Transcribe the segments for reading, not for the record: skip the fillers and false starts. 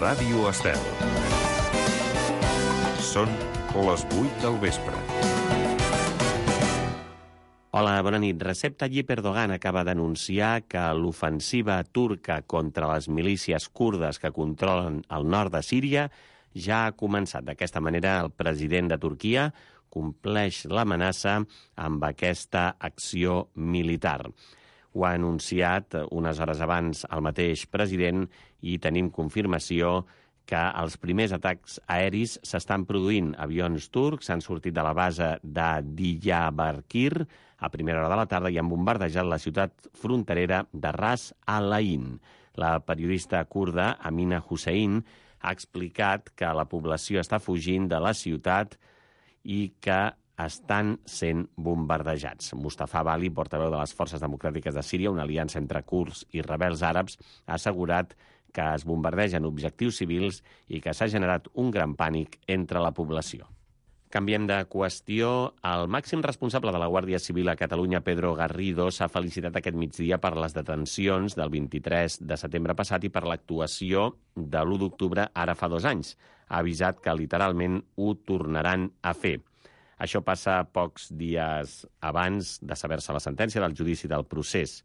Ràdio Estel. Són les 8 del vespre. Hola, bona nit. Recep Tayyip Erdogan acaba d'anunciar que l'ofensiva turca contra les milícies kurdes que controlen el nord de Síria ja ha començat. D'aquesta manera, el president de Turquia compleix l'amenaça amb aquesta acció militar. Ho ha anunciat unes hores abans el mateix president i tenim confirmació que els primers atacs aeris s'estan produint. Avions turcs han sortit de la base de Diyarbakir a primera hora de la tarda i han bombardejat la ciutat fronterera de Ras al-Ain. La periodista kurda Amina Hussein ha explicat que la població està fugint de la ciutat i que estan sent bombardejats. Mustafa Bali, portaveu de les Forces Democràtiques de Síria, una aliança entre kurds i rebels àrabs, ha assegurat que es bombardegen objectius civils i que s'ha generat un gran pànic entre la població. Canviem de qüestió. El màxim responsable de la Guàrdia Civil a Catalunya, Pedro Garrido, s'ha felicitat aquest migdia per les detencions del 23 de setembre passat i per l'actuació de l'1 d'octubre ara fa 2 anys. Ha avisat que literalment ho tornaran a fer. Això passa pocs dies abans de saber-se la sentència del judici del procés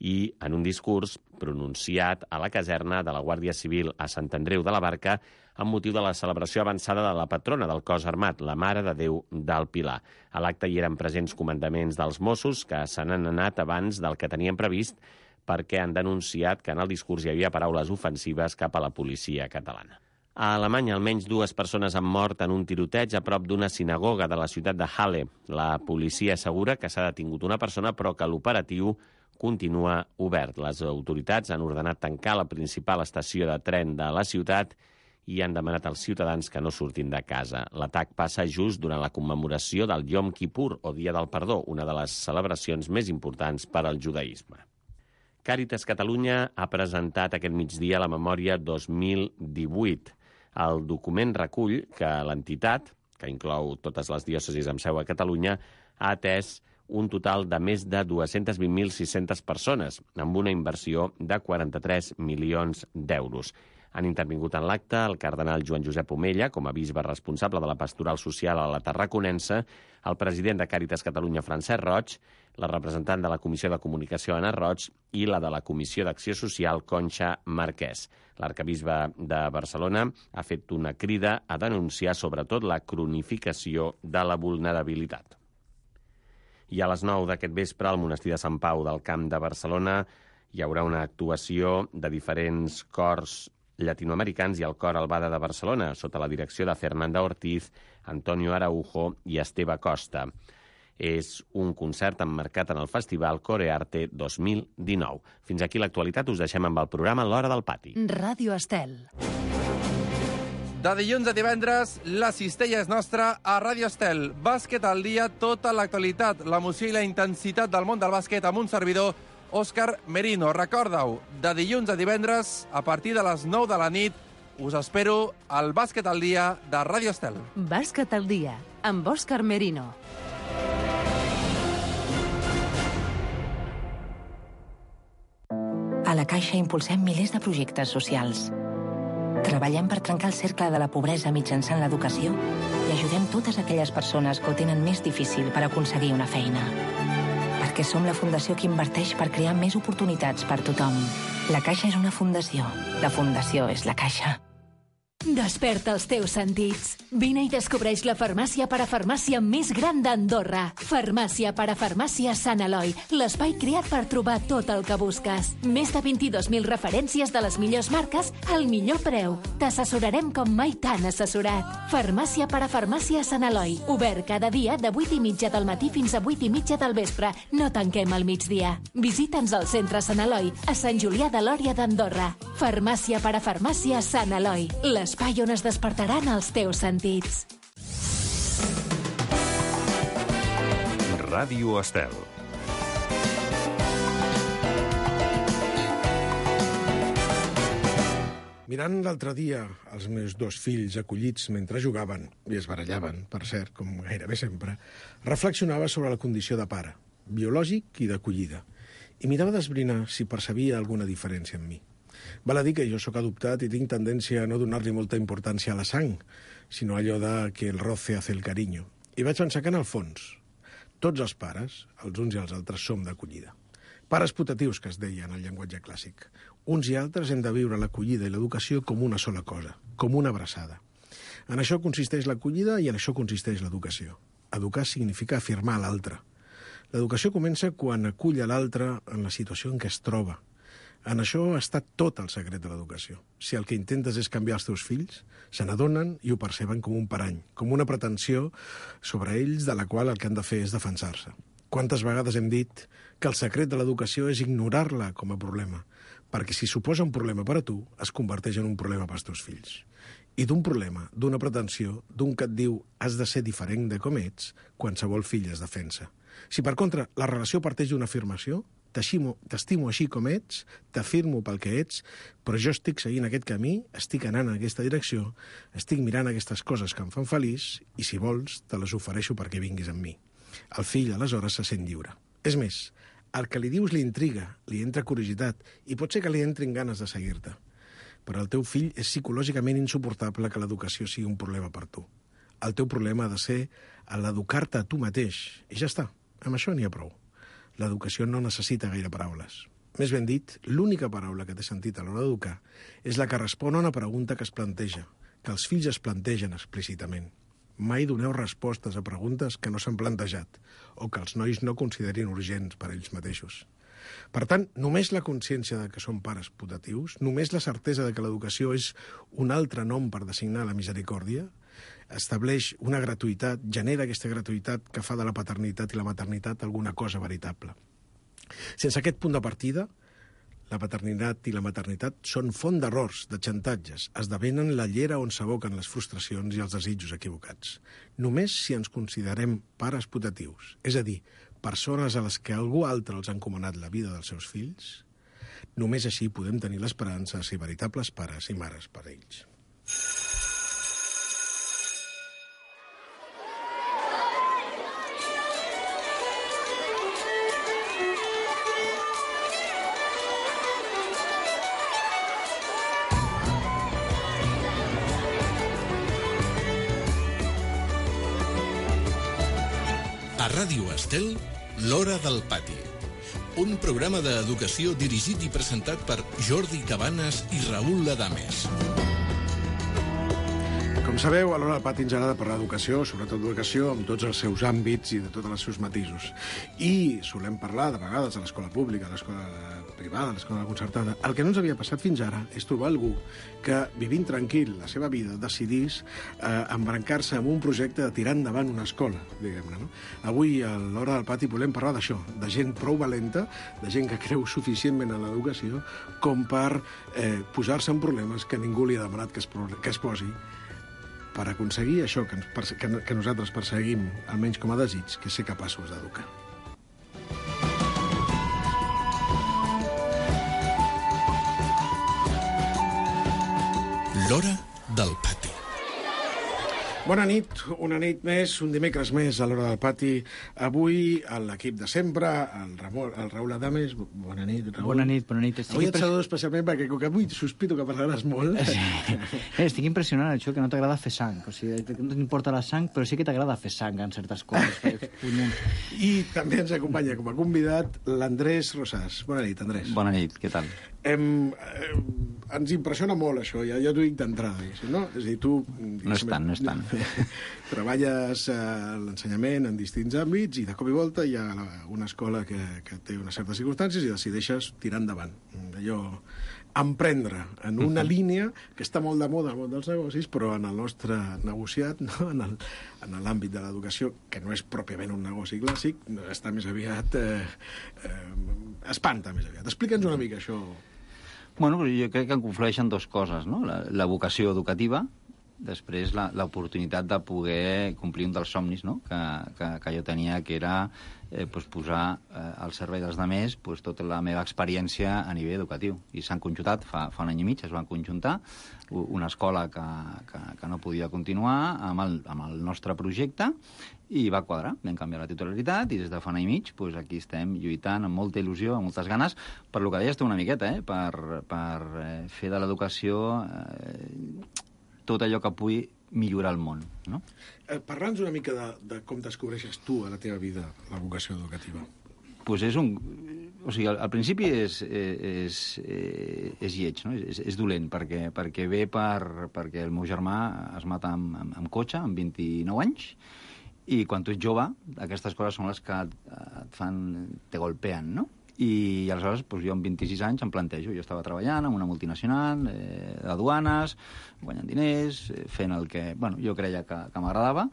i en un discurs pronunciat a la caserna de la Guàrdia Civil a Sant Andreu de la Barca amb motiu de la celebració avançada de la patrona del cos armat, la Mare de Déu del Pilar. A l'acte hi eren presents comandaments dels Mossos que se n'han anat abans del que tenien previst perquè han denunciat que en el discurs hi havia paraules ofensives cap a la policia catalana. A Alemanya, almenys 2 persones han mort en un tiroteig a prop d'una sinagoga de la ciutat de Halle. La policia assegura que s'ha detingut una persona, però que l'operatiu continua obert. Les autoritats han ordenat tancar la principal estació de tren de la ciutat i han demanat als ciutadans que no surtin de casa. L'atac passa just durant la commemoració del Yom Kippur, o Dia del Perdó, una de les celebracions més importants per al judaïsme. Càritas Catalunya ha presentat aquest migdia la memòria 2018. El document recull que l'entitat, que inclou totes les diòcesis amb seu a Catalunya, ha atès un total de més de 220.600 persones, amb una inversió de 43 milions d'euros. Han intervingut en l'acte el cardenal Joan Josep Omella, com a bisbe responsable de la pastoral social a la Tarraconense, el president de Càritas Catalunya, Francesc Roig, la representant de la Comissió de Comunicació, Anna Roig, i la de la Comissió d'Acció Social, Conxa Marquès. L'arcabisbe de Barcelona ha fet una crida a denunciar sobretot la cronificació de la vulnerabilitat. I a les 9 d'aquest vespre, al monestir de Sant Pau del Camp de Barcelona, hi haurà una actuació de diferents cors llatinoamericans i el Cor Albada de Barcelona, sota la direcció de Fernanda Ortiz, Antonio Araujo i Esteve Costa. És un concert emmarcat en el Festival Corearte 2019. Fins aquí l'actualitat, us deixem amb el programa L'Hora del Pati. Ràdio Estel. De dilluns a divendres, la cistella és nostra a Ràdio Estel. Bàsquet al dia, tota l'actualitat, l'emoció i la intensitat del món del bàsquet amb un servidor, Òscar Merino. Recorda-ho, de dilluns a divendres, a partir de les 9 de la nit, us espero al Bàsquet al dia de Ràdio Estel. Bàsquet al dia, amb Òscar Merino. A la Caixa impulsem milers de projectes socials. Treballem per trencar el cercle de la pobresa mitjançant l'educació i ajudem totes aquelles persones que ho tenen més difícil per aconseguir una feina. Perquè som la fundació que inverteix per crear més oportunitats per tothom. La Caixa és una fundació. La fundació és la Caixa. Desperta els teus sentits. Vine i descobreix la farmàcia parafarmàcia més gran d'Andorra. Farmàcia parafarmàcia Sant Eloi, l'espai creat per trobar tot el que busques. Més de 22.000 referències de les millors marques al millor preu. T'assessorarem com mai t'han assessorat. Farmàcia parafarmàcia Sant Eloi, obert cada dia de 8:30 del matí fins a 8:30 del vespre. No tanquem al migdia. Visita'ns al centre Sant Eloi, a Sant Julià de Lòria d'Andorra. Farmàcia parafarmàcia Sant Eloi, l'espai on es despertaran els teus sentits. Ràdio Estel. Mirant l'altre dia els meus 2 fills acollits mentre jugaven, i es barallaven, per cert, com gairebé sempre, reflexionava sobre la condició de pare, biològic i d'acollida, i mirava d'esbrinar si percebia alguna diferència en mi. Val a dir que jo sóc adoptat i tinc tendència a no donar-li molta importància a la sang, sinó allò de que el roce hace el cariño. I vaig pensar que, en el fons, tots els pares, els uns i els altres, som d'acollida. Pares putatius, que es deia en el llenguatge clàssic. Uns i altres hem de viure l'acollida i l'educació com una sola cosa, com una abraçada. En això consisteix l'acollida i en això consisteix l'educació. Educar significa afirmar l'altre. L'educació comença quan acull a l'altre en la situació en què es troba. En això està tot el secret de l'educació. Si el que intentes és canviar els teus fills, se n'adonen i ho perceben com un parany, com una pretensió sobre ells de la qual el que han de fer és defensar-se. Quantes vegades hem dit que el secret de l'educació és ignorar-la com a problema, perquè si suposa un problema per a tu, es converteix en un problema pels teus fills. I d'un problema, d'una pretensió, d'un que et diu has de ser diferent de com ets, qualsevol fill es defensa. Si, per contra, la relació parteix d'una afirmació, t'estimo així com ets, t'afirmo pel que ets, però jo estic seguint aquest camí, estic anant en aquesta direcció, estic mirant aquestes coses que em fan feliç i, si vols, te les ofereixo perquè vinguis amb mi. El fill, aleshores, se sent lliure. És més, el que li dius li intriga, li entra curiositat i pot ser que li entrin ganes de seguir-te. Però el teu fill és psicològicament insuportable que l'educació sigui un problema per tu. El teu problema ha de ser l'educar-te a tu mateix. I ja està, amb això n'hi ha prou. L'educació no necessita gaire paraules. Més ben dit, l'única paraula que té sentit a l'hora d'educar és la que respon a una pregunta que es planteja, que els fills es plantegen explícitament. Mai doneu respostes a preguntes que no s'han plantejat o que els nois no considerin urgents per ells mateixos. Per tant, només la consciència de que som pares putatius, només la certesa de que l'educació és un altre nom per designar la misericòrdia, estableix una gratuïtat, genera aquesta gratuïtat que fa de la paternitat i la maternitat alguna cosa veritable. Sense aquest punt de partida, la paternitat i la maternitat són font d'errors, de xantatges, esdevenen la llera on s'aboquen les frustracions i els desitjos equivocats. Només si ens considerem pares putatius, és a dir, persones a les que algú altre els ha encomanat la vida dels seus fills, només així podem tenir l'esperança de ser veritables pares i mares per a ells. A Ràdio Estel, l'Hora del Pati. Un programa d'educació dirigit i presentat per Jordi Cabanes i Raül Ladames. Com sabeu, a l'Hora del Pati ens agrada parlar d'educació, sobretot d'educació, amb tots els seus àmbits i de tots els seus matisos. I solem parlar, de vegades, de l'escola pública, de l'escola privada, de l'escola concertada. El que no ens havia passat fins ara és trobar algú que, vivint tranquil la seva vida, decidís embrancar-se en un projecte de tirar endavant una escola, diguem-ne, no? Avui, a l'Hora del Pati, volem parlar d'això, de gent prou valenta, de gent que creu suficientment en l'educació com per posar-se en problemes que ningú li ha demanat que es posi, per aconseguir això que nosaltres perseguim, almenys com a desig, que és ser capaços d'educar. L'Hora del Pati. Bona nit, una nit més, un dimecres més a l'Hora del Pati. Avui, l'equip de sempre, el Raül Ladames. Bona nit, Raül. Bona nit, bona nit. Avui et saludo especialment perquè com que avui sospito que parlaràs molt. Sí. Estic impressionant, això, que no t'agrada fer sang. O sigui, no t'importa la sang, però sí que t'agrada fer sang en certes coses. I també ens acompanya com a convidat l'Andrés Rosàs. Bona nit, Andrés. Bona nit, què tal? Ens impressiona molt això, ja t'ho dic d'entrada, no? És a dir, tu... No és tant. Treballes a l'ensenyament en distints àmbits i de cop i volta hi ha una escola que té unes certes circumstàncies i decideixes tirar endavant. Allò, emprendre en una línia que està molt de moda al món dels negocis, però en el nostre negociat, no? En l'àmbit de l'educació, que no és pròpiament un negoci clàssic, està més aviat... espanta més aviat. Explica'ns una mica això. Bueno, jo crec que en conflueixen dues coses, no? La vocació educativa després l'oportunitat de poder complir un dels somnis, no?, que jo tenia, que era posar al servei dels altres tota la meva experiència a nivell educatiu. I s'han conjuntat, fa un any i mig, es van conjuntar una escola que no podia continuar amb el nostre projecte, i va quadrar, vam canviar la titularitat, i des de fa un any i mig aquí estem lluitant amb molta il·lusió, amb moltes ganes, per lo que deies tu una miqueta, per fer de l'educació tot allò que pugui millorar el món, no? Parla'ns una mica de com descobreixes tu a la teva vida la vocació educativa. Pues o sigui, al principi és lleig, no? És dolent, perquè ve perquè el meu germà es mata amb cotxe, amb 29 anys, i quan tu ets jove, aquestes coses són les que te golpeen, no? I aleshores, jo amb 26 anys em plantejo. Jo estava treballant en una multinacional d'aduanes, guanyant diners, fent el que jo creia que m'agradava,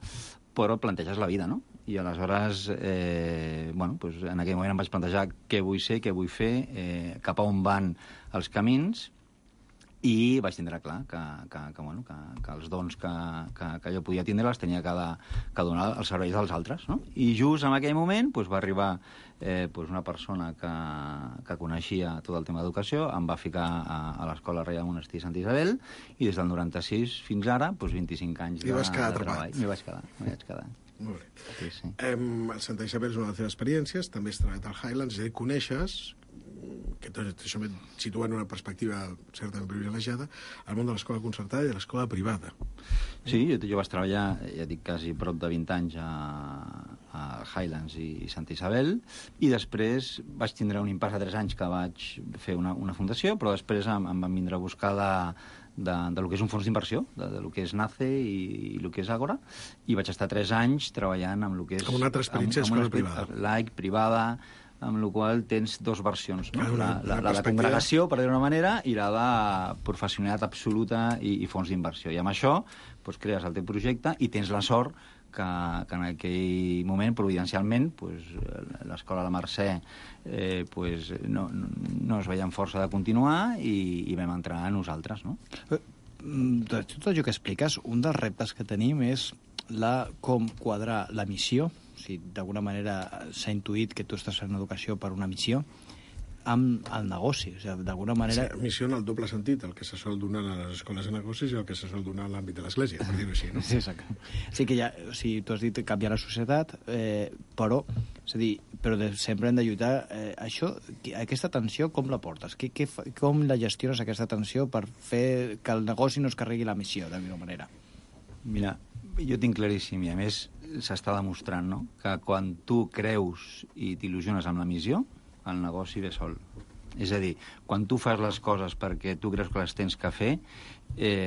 però planteges la vida, no? I aleshores, en aquell moment em vaig plantejar què vull ser, què vull fer, cap a on van els camins, i vaig tindre clar que els dons que jo podia tindre els tenia que donar als serveis dels altres, no? I just en aquell moment va arribar una persona que coneixia tot el tema d'educació, em va ficar a l'Escola Reial Monestir Sant Isabel, i des del 96 fins ara, 25 anys de treball. M'hi vaig quedar. Molt bé. Sí. Santa Isabel és una de les teves experiències, també has treballat al Highlands, coneixes, que això em situa en una perspectiva certament privilegiada, al món de l'escola concertada i de l'escola privada. Sí, jo vaig treballar, ja dic, quasi prop de 20 anys a Highlands i Santa Isabel, i després vaig tindre un impàs de 3 anys que vaig fer una fundació, però després em van vindre a buscar de lo que és un fons d'inversió, de lo que és NACE i lo que és Ágora, i vaig estar 3 anys treballant amb lo que és... Com una altra experiència d'escola privada. Laic, privada, amb la qual tens dos versions, no? La congregació, per dir-ho d'una manera, i la de professionalitat absoluta i fons d'inversió. I amb això crees el teu projecte i tens la sort que en aquell moment, providencialment, l'escola de Mercè no es veia amb força de continuar i vam entrar a nosaltres, no? De tot allò que expliques, un dels reptes que tenim és com quadrar la missió, o sigui, d'alguna manera s'ha intuït que tu estàs fent educació per una missió, amb el negoci, o sigui, d'alguna manera... Sí, missió en el doble sentit, el que se sol donar a les escoles de negocis i el que se sol donar a l'àmbit de l'església, per dir-ho així, no? Sí, exacte. Sí que tu has dit canviar la societat, però, és a dir, sempre hem de lluitar. Aquesta tensió, com la portes? Com la gestiones, aquesta tensió, per fer que el negoci no es carregui la missió, d'alguna manera? Mira, jo tinc claríssim, i a més s'està demostrant, no?, que quan tu creus i t'il·lusiones amb la missió, el negoci ve sol. És a dir, quan tu fas les coses perquè tu creus que les tens que fer,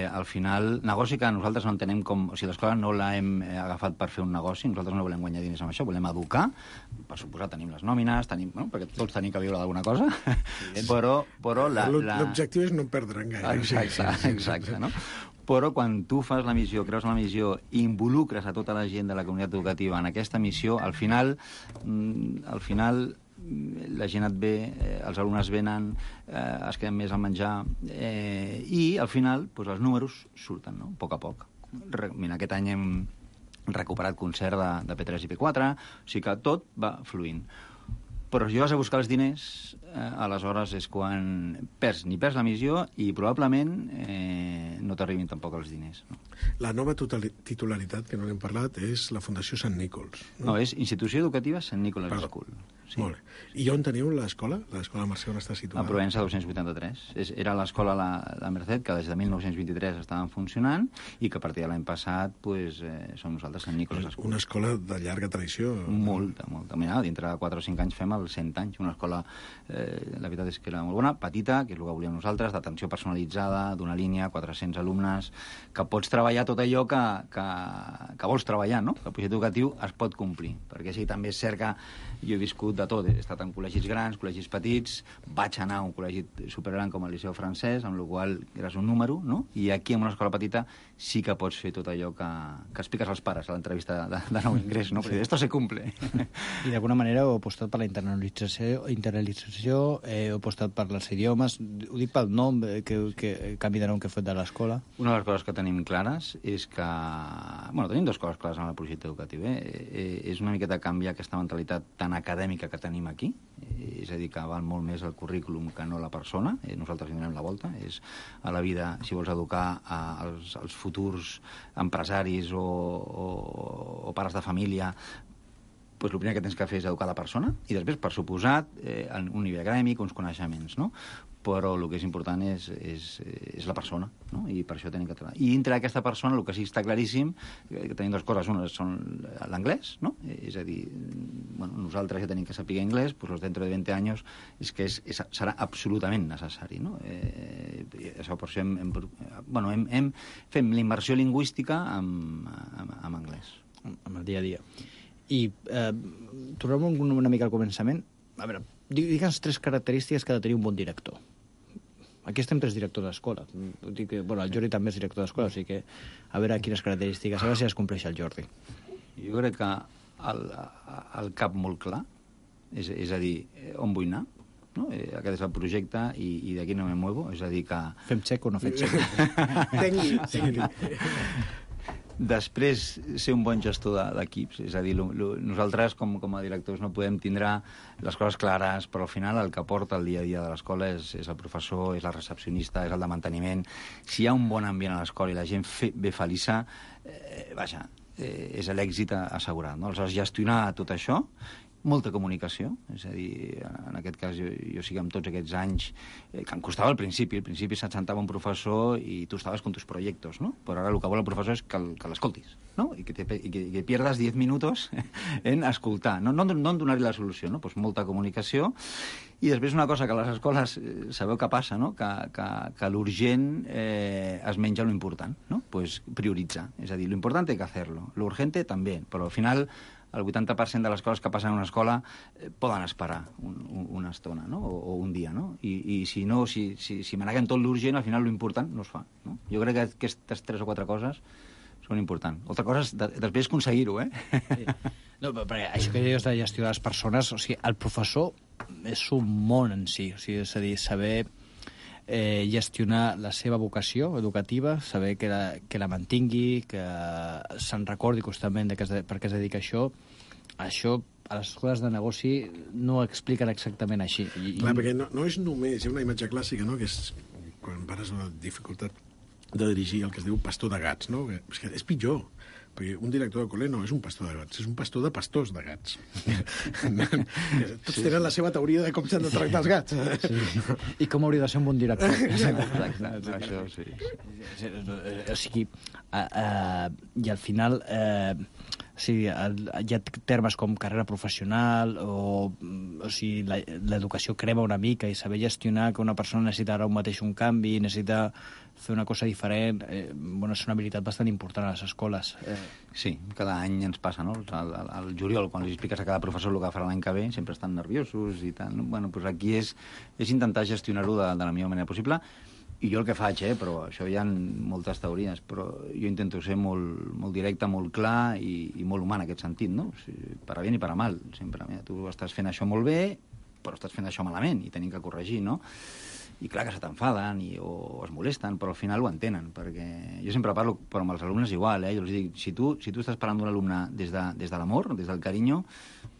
al final, negoci que nosaltres no entenem com... O sigui, l'escola no l'hem agafat per fer un negoci, nosaltres no volem guanyar diners amb això, volem educar, per suposar tenim les nòmines, perquè tots tenim que viure d'alguna cosa, però l'objectiu és no perdre gaire. Exacte, no? Però quan tu fas la missió, creus en la missió, i involucres a tota la gent de la comunitat educativa en aquesta missió, al final la gent et ve, els alumnes venen, es queden més al menjar, i al final els números surten, no?, a poc a poc. Mira, aquest any hem recuperat concert de P3 i P4, o sigui que tot va fluint. Però si vas a buscar els diners, aleshores és quan perds la missió i probablement no t'arribin tampoc els diners. No? La nova titularitat, que no n'hem parlat, és la Fundació Sant Nichols. No, és Institució Educativa Sant Nichols School. Sí. Molt bé. I on teniu l'escola? L'escola Mercè on està situada? A Provença 283. Era l'escola La Merced, que des de 1923 estaven funcionant i que a partir de l'any passat som nosaltres Sant Nichols School. Una escola de llarga tradició. Molta. Mira, dintre de 4 o 5 anys fem els 100 anys. Una escola, la veritat és que era molt bona, petita, que és el que volíem nosaltres, d'atenció personalitzada, d'una línia, 400 alumnes, que pots treballar tot allò que vols treballar, no? Que el projecte educatiu es pot complir. Perquè sí, també és cert que jo he viscut de tot. He estat en col·legis grans, col·legis petits, vaig anar a un col·legi supergran com el Liceu Francès, amb la qual eres un número, no? I aquí, en una escola petita, sí que pots fer tot allò que expliques als pares a l'entrevista de nou ingrés, no? Perquè esto se cumple. I d'alguna manera heu apostat per la internalització, heu apostat per els idiomes, ho dic pel nom, que canvi de nom que heu fet de l'escola. Una de les coses que tenim clares és que... Bueno, tenim dues coses clares en el projecte educatiu. És una miqueta canviar aquesta mentalitat tan acadèmica que tenim aquí, és a dir, que val molt més el currículum que no la persona. Nosaltres hi donem la volta. És a la vida, si vols educar els futurs empresaris o pares de família, doncs el primer que tens que fer és educar la persona i després, per suposat, un nivell acadèmic, uns coneixements, no? Però el que és important és la persona, no? I per això tenim que treballar. I dintre d'aquesta persona el que sí està claríssim, que tenim dues coses, una són l'anglès, no? És a dir, bueno, nosaltres ja tenim que saber anglès, doncs dentro de 20 anys serà absolutament necessari, no? Això per això fem la immersió lingüística amb anglès. Amb el dia a dia. I tornem una mica al començament. A veure, digue'ns 3 característiques que ha de tenir un bon director. Aquí estem 3 directors d'escola. Bueno, el Jordi també és director d'escola, o sigui que a veure quines característiques, a veure si es compleix el Jordi. Jo crec que el cap molt clar, és a dir, on vull anar, no? Aquest és el projecte i d'aquí no me muevo, és a dir que... Fem xec o no fem xec? Tengui. Després, ser un bon gestor d'equips. És a dir, nosaltres, com a directors, no podem tindre les coses clares, però al final el que porta el dia a dia de l'escola és el professor, és la recepcionista, és el de manteniment. Si hi ha un bon ambient a l'escola i la gent ve feliça, és l'èxit assegurat, no? Aleshores, gestionar tot això, molta comunicació, és a dir, en aquest cas jo sí que amb tots aquests anys, que em costava al principi se't sentava un professor i tu estaves con tus proyectos, ¿no? Però ara el que vol el professor és que l'escoltis, ¿no? I que pierdas 10 minutos en escoltar, no en donar-li la solució, no? Pues molta comunicació. I després una cosa que a les escoles sabeu què passa, no? Que l'urgent es menja lo important, no? Pues prioritzar, és a dir, lo importante hay que hacerlo, lo urgente també, però al final el 80% de les coses que passen en una escola poden esperar una estona, no? O un dia, no? I si maneguem tot l'urgent, al final l'important no es fa, no? Jo crec que aquestes 3 o 4 coses són importants. Altra cosa és després aconseguir-ho, Sí. No, perquè això que dius de gestió de les persones, o sigui, el professor és un món en si, o sigui, és a dir, saber gestionar la seva vocació educativa, saber que la mantingui, que se'n recordi constantment per què es dedica a això a les escoles de negoci no ho expliquen exactament així. Clar, perquè no és només, hi ha una imatge clàssica, no?, que és quan pares la dificultat de dirigir el que es diu pastor de gats, no? És que és pitjor, perquè un director de col·le no és un pastor de gats, és un pastor de pastors de gats. Tots tenen la seva teoria de com s'han de tractar els gats. Sí. I com hauria de ser un bon director. Exacte. Això, sí. O sigui, i al final hi ha termes com carrera professional o sigui, l'educació crema una mica i saber gestionar que una persona necessita ara un canvi, necessita fer una cosa diferent, és una habilitat bastant important a les escoles. Sí, cada any ens passa, no? Al juliol, quan li expliques a cada professor el que farà l'any que ve, sempre estan nerviosos i tal. Bueno, doncs aquí és intentar gestionar-ho de la millor manera possible. I jo el que faig, però això hi ha moltes teories, però jo intento ser molt directe, molt clar i molt humà en aquest sentit, no? O sigui, per a bien i per a mal. Sempre, mira, tu estàs fent això molt bé, però estàs fent això malament i tenim que corregir, no? I clar que se t'enfaden o es molesten, però al final ho entenen, perquè jo sempre parlo, però amb els alumnes igual, Jo els dic, si tu estàs parlant d'un alumne des de l'amor, des del carinyo,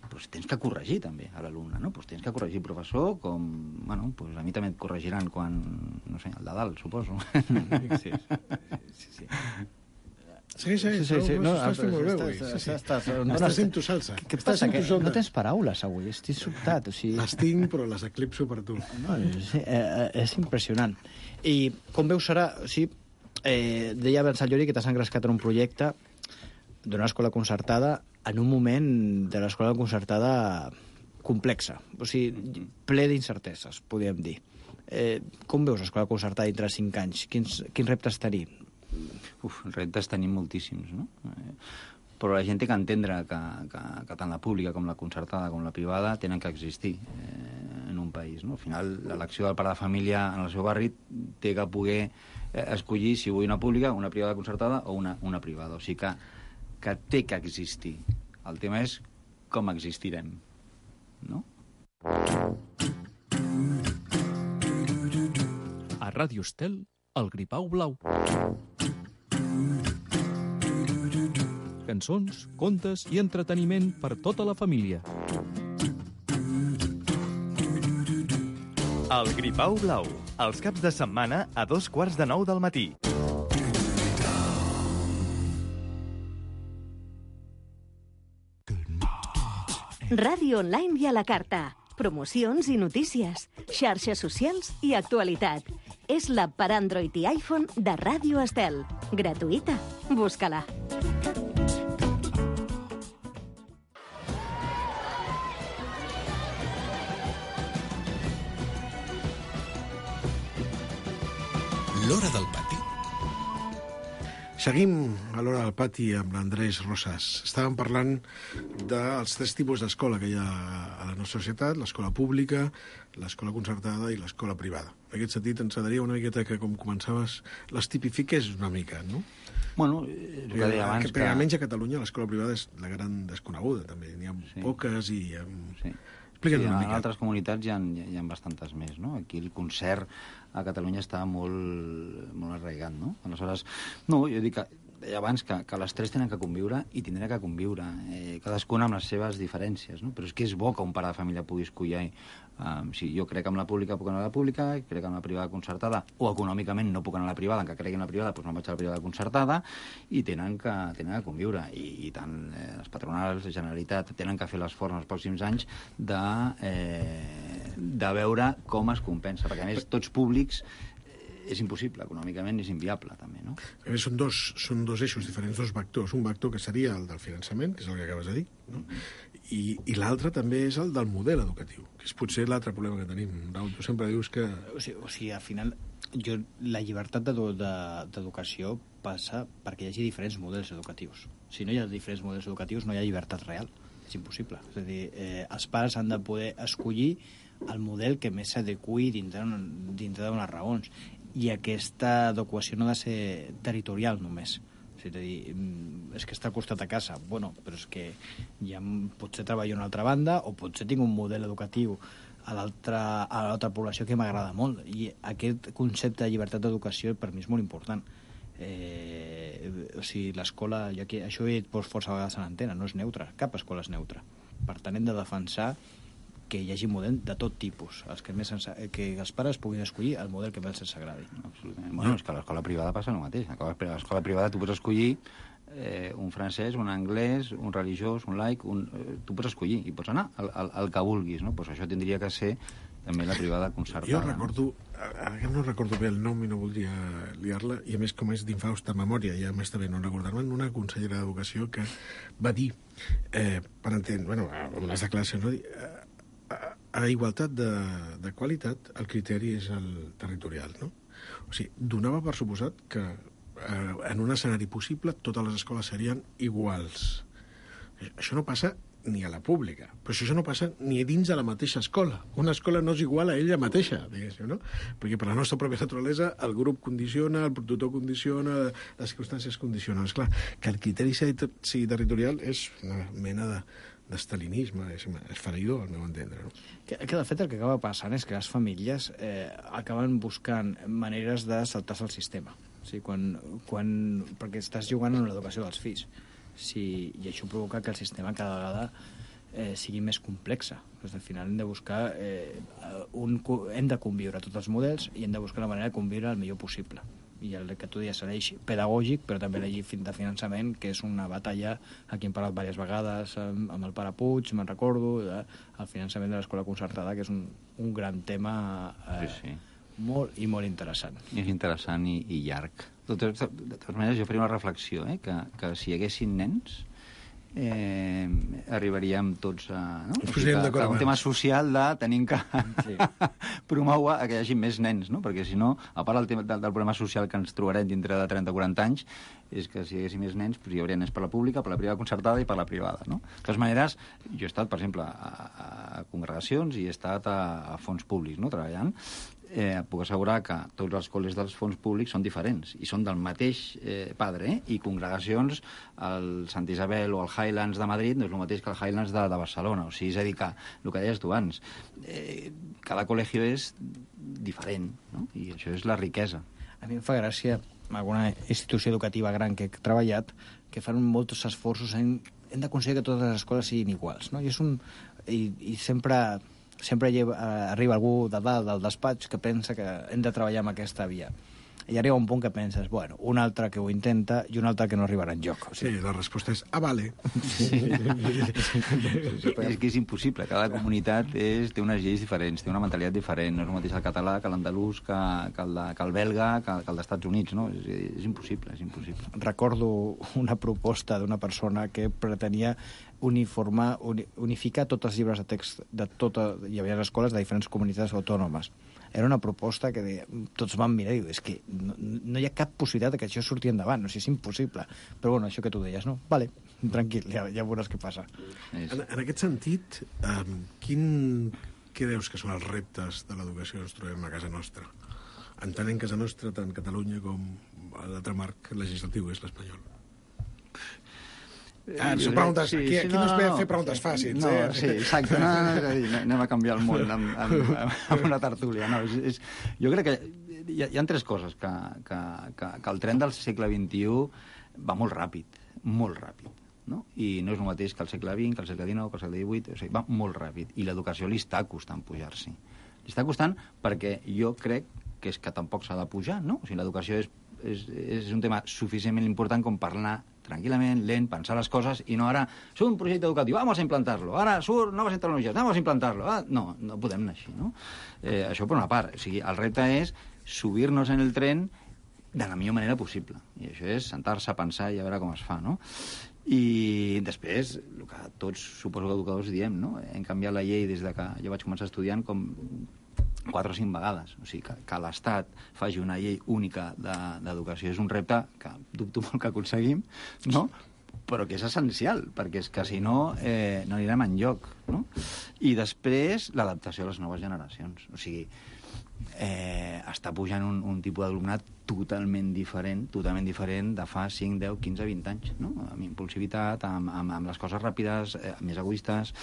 doncs tens que corregir també a l'alumne, no? Doncs tens que corregir el professor, com, bueno, doncs a mi també et corregiran quan, no sé, el de dalt, suposo. Sí. Sí, no, estàs fent molt bé avui. Estàs sent tu salsa. Què passa? No tens paraules avui, estic sobtat. Les tinc, però les eclipso per tu. És impressionant. I com veus serà... Deia abans el Llori que t'has engrescat en un projecte d'una escola concertada en un moment de l'escola concertada complexa, o sigui, ple d'incerteses, podríem dir. Com veus l'escola concertada dintre de 5 anys? Quins reptes tenim? Reptes tenim moltíssims, no? però la gent té que entendre que tant la pública com la concertada com la privada tenen que existir en un país, no? Al final, l'elecció del pare de família en el seu barri té que poder escollir si vull una pública, una privada concertada o una privada. O sigui que té que existir. El tema és com existirem, no? A Ràdio Estel, el Gripau Blau. Cançons, contes i entreteniment per tota la família. El Gripau Blau, els caps de setmana a 8:45 del matí. Ràdio online i a la carta. Promocions i notícies, xarxes socials i actualitat. És l'app per Android i iPhone de Ràdio Estel. Gratuïta. Busca-la. L'Hora del Pati. Seguim a l'Hora del Pati amb l'Andrés Rosas. Estàvem parlant dels 3 tipus d'escola que hi ha a la nostra societat, l'escola pública, l'escola concertada i l'escola privada. En aquest sentit, ens agradaria una miqueta que, com començaves, les tipifiques una mica, no? Bueno, el que deia abans que... Almenys a Catalunya l'escola privada és la gran desconeguda, també. N'hi ha poques i... Sí. Explica'ns una mica. En altres comunitats hi ha bastantes més, no? Aquí el concert a Catalunya està molt arraigat, no? Aleshores, no, jo dic que deia abans que les 3 tenen que conviure i tindran que conviure, cadascuna amb les seves diferències, no? Però és que és bo que un pare de família pugui escollir. Si jo crec que amb la pública puc anar a la pública, crec que amb la privada concertada, o econòmicament no puc anar a la privada, encara cregui en la privada, doncs no vaig a la privada concertada, i tenen que conviure. I tant les patronals, la Generalitat, tenen que fer l'esforç en els pròxims anys de veure com es compensa, perquè a més tots públics és impossible, econòmicament és inviable també, no? A més, són dos eixos diferents, 2 vectors. Un vector que seria el del finançament, que és el que acabes de dir, no? I l'altre també és el del model educatiu, que és potser l'altre problema que tenim. Raül, tu sempre dius que... O sigui, al final, la llibertat d'educació passa perquè hi hagi diferents models educatius. Si no hi ha diferents models educatius, no hi ha llibertat real. És impossible. És a dir, els pares han de poder escollir el model que més s'adequi dintre d'unes raons. I aquesta adequació no ha de ser territorial només. És a dir, és que està al costat de casa. Bueno, però és que ja potser treballo a una altra banda o potser tinc un model educatiu a l'altra població que m'agrada molt. I aquest concepte de llibertat d'educació per mi és molt important. O sigui, l'escola, això ho he dit força vegades a l'antena, no és neutra, cap escola és neutra. Per tant, hem de defensar que hi hagi model de tot tipus, que els pares puguin escollir el model que més els agradi. Absolutament. Bueno, és que a l'escola privada passa el mateix. A l'escola privada tu pots escollir un francès, un anglès, un religiós, un laic, tu pots escollir i pots anar al que vulguis, no? Pues això tindria que ser també la privada concertada. Jo recordo, ara no recordo bé el nom i no voldria liar-la, i a més com és d'infausta memòria, ja m'està bé no recordar-me'n, una consellera d'Educació que va dir, per entendre, bueno, en unes declaracions, no dir, a igualtat de qualitat, el criteri és el territorial, no? O sigui, donava per suposat que en un escenari possible totes les escoles serien iguals. Això no passa ni a la pública, però això no passa ni dins de la mateixa escola. Una escola no és igual a ella mateixa, diguéssim, no? Perquè per la nostra pròpia naturalesa el grup condiciona, el tutor condiciona, les circumstàncies condicionen. Esclar, que el criteri sigui territorial és una mena d'estalinisme, és esfereïdor, al meu entendre, no? Que de fet el que acaba passant és que les famílies acaben buscant maneres de saltar-se el sistema. O sigui, perquè estàs jugant en l'educació dels fills. I això provoca que el sistema cada vegada sigui més complexa. Al final hem de buscar hem de conviure tots els models i hem de buscar la manera de conviure el millor possible. I el que tu deies serà l'eix pedagògic, però també l'eix de finançament, que és una batalla, aquí hem parlat diverses vegades amb el pare Puig, me'n recordo, el finançament de l'escola concertada, que és un gran tema molt i molt interessant. És interessant i llarg. De totes maneres, jo faria una reflexió, que si hi haguessin nens arribaríem tots a... No? Un tema social de tenim que promoure que hi hagi més nens, no? Perquè si no, a part del problema social que ens trobarem dintre de 30 o 40 anys, és que si hi haguessin més nens, hi hauria nens per la pública, per la privada concertada i per la privada, no? De totes maneres, jo he estat, per exemple, a congregacions i he estat a fons públics, no?, treballant. Puc assegurar que tots els col·les dels fons públics són diferents i són del mateix padre, i congregacions, el Sant Isabel o el Highlands de Madrid no és el mateix que el Highlands de Barcelona. O sigui, és a dir, que el que deies tu abans, cada col·legio és diferent, no? I això és la riquesa. A mi em fa gràcia alguna institució educativa gran que he treballat, que fan molts esforços hem d'aconseguir que totes les escoles siguin iguals, no? I sempre arriba algú de dalt del despatx que pensa que hem de treballar amb aquesta via. I arriba un punt que penses, bueno, un altre que ho intenta i un altre que no arribarà enlloc. O sigui... Sí, la resposta és, vale. Sí. És que és impossible. Cada comunitat té unes lleis diferents, té una mentalitat diferent. No és el mateix el català que l'andalús, que el belga, que el dels Estats Units, no? És impossible, és impossible. Recordo una proposta d'una persona que pretenia unificar tots els llibres de text de hi havia escoles de diferents comunitats autònomes. Era una proposta que tots van mirar i diu, és que no hi ha cap possibilitat que això surti endavant, no sé, és impossible. Però bueno, això que tu deies, no? Vale, tranquil, ja veuràs què passa. En aquest sentit, què creus que són els reptes de l'educació que ens trobem a casa nostra? Entenent casa nostra, tant Catalunya com l'altre marc legislatiu és l'espanyol. Són preguntes... Aquí no es ve a fer preguntes fàcils. No, sí, exacte. Anem a canviar el món amb una tertúlia. No, jo crec que hi ha tres coses. Que el tren del segle XXI va molt ràpid, no? I no és el mateix que el segle XX, que el segle XIX, que el segle XVIII. O sigui, va molt ràpid. I l'educació li està costant pujar-s'hi. Li està costant perquè jo crec que és que tampoc s'ha de pujar, no? O sigui, l'educació és un tema suficientment important com per anar tranquil·lament, lent, pensar les coses, i no ara, surt un projecte educatiu, vamos a implantar-lo, ara surt noves tecnologies, vamos a implantar-lo. No podem anar així, no? Això per una part. O sigui, el repte és subir-nos en el tren de la millor manera possible. I això és sentar-se a pensar i a veure com es fa, no? I després, el que tots, suposo que educadors, diem, no? Hem canviat la llei des que jo vaig començar estudiant com 4 o 5 vegades. O sigui, que l'Estat faci una llei única d'educació és un repte que dubto molt que aconseguim, no? Però que és essencial, perquè és que si no, no anirem enlloc, no? I després, l'adaptació a les noves generacions. O sigui, està pujant un tipus d'alumnat totalment diferent de fa 5, 10, 15, 20 anys, no? Amb impulsivitat, amb les coses ràpides, més egoistes,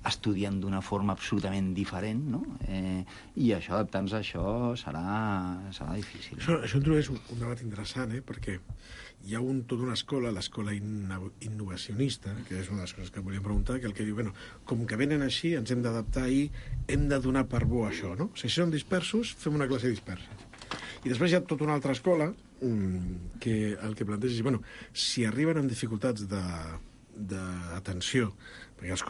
estudiant d'una forma absolutament diferent, no? I això, adaptar-nos a això, serà difícil. Això introdueix un debat interessant, perquè hi ha tota una escola, l'escola innovacionista, que és una de les coses que volíem preguntar, que el que diu, bueno, com que venen així, ens hem d'adaptar i hem de donar per bo això, no? Si són dispersos, fem una classe dispersa. I després hi ha tota una altra escola que el que planteja és, bueno, si arriben amb dificultats d'atenció, perquè els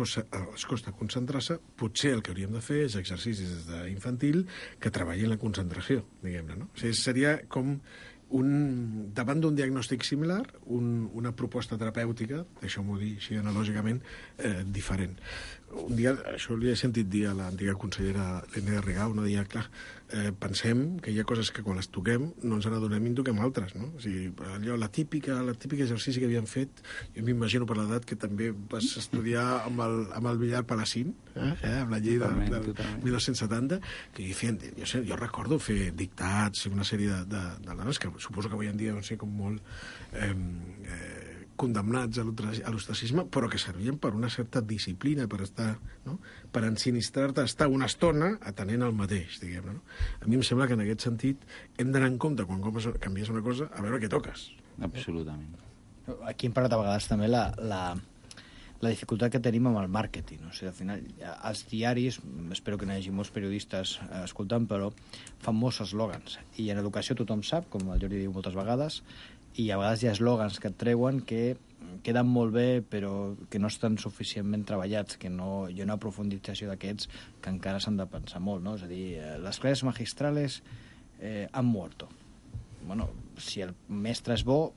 costa concentrar-se, potser el que hauríem de fer és exercicis des d'infantil que treballin la concentració, diguem-ne, no? O sigui, seria com davant d'un diagnòstic similar, una proposta terapèutica, deixeu-m'ho dir així analògicament, diferent. Un dia, això li he sentit dir a l'antiga consellera Lena Rigau, no deia, clar, pensem que hi ha coses que quan les toquem no ens n'adonem i en toquem altres, no? O sigui, allò, la típica exercici que havíem fet, jo m'imagino per l'edat que també vas estudiar amb el billar palacín, amb la llei del 1970, que jo recordo fer dictats, una sèrie de dones que suposo que avui en dia no sé, com molt condemnats a l'ostracisme, però que servien per una certa disciplina, per estar, no? Per ensinistrar-te a estar una estona atenent al mateix, diguem-ne, no? A mi em sembla que en aquest sentit hem d'anar en compte quan canvies una cosa a veure què toques. Absolutament. Aquí hem parlat a vegades també la dificultat que tenim amb el màrqueting. O sigui, al final, els diaris, espero que n'hi hagi molts periodistes escoltant, però fan molts eslògans. I en educació tothom sap, com el Jordi diu moltes vegades, i a vegades hi ha eslògans que et treuen que queden molt bé però que no estan suficientment treballats, que hi ha una profundització d'aquests que encara s'han de pensar molt, no? És a dir, les classes magistrales han muerto. Bueno, si el mestre és bo,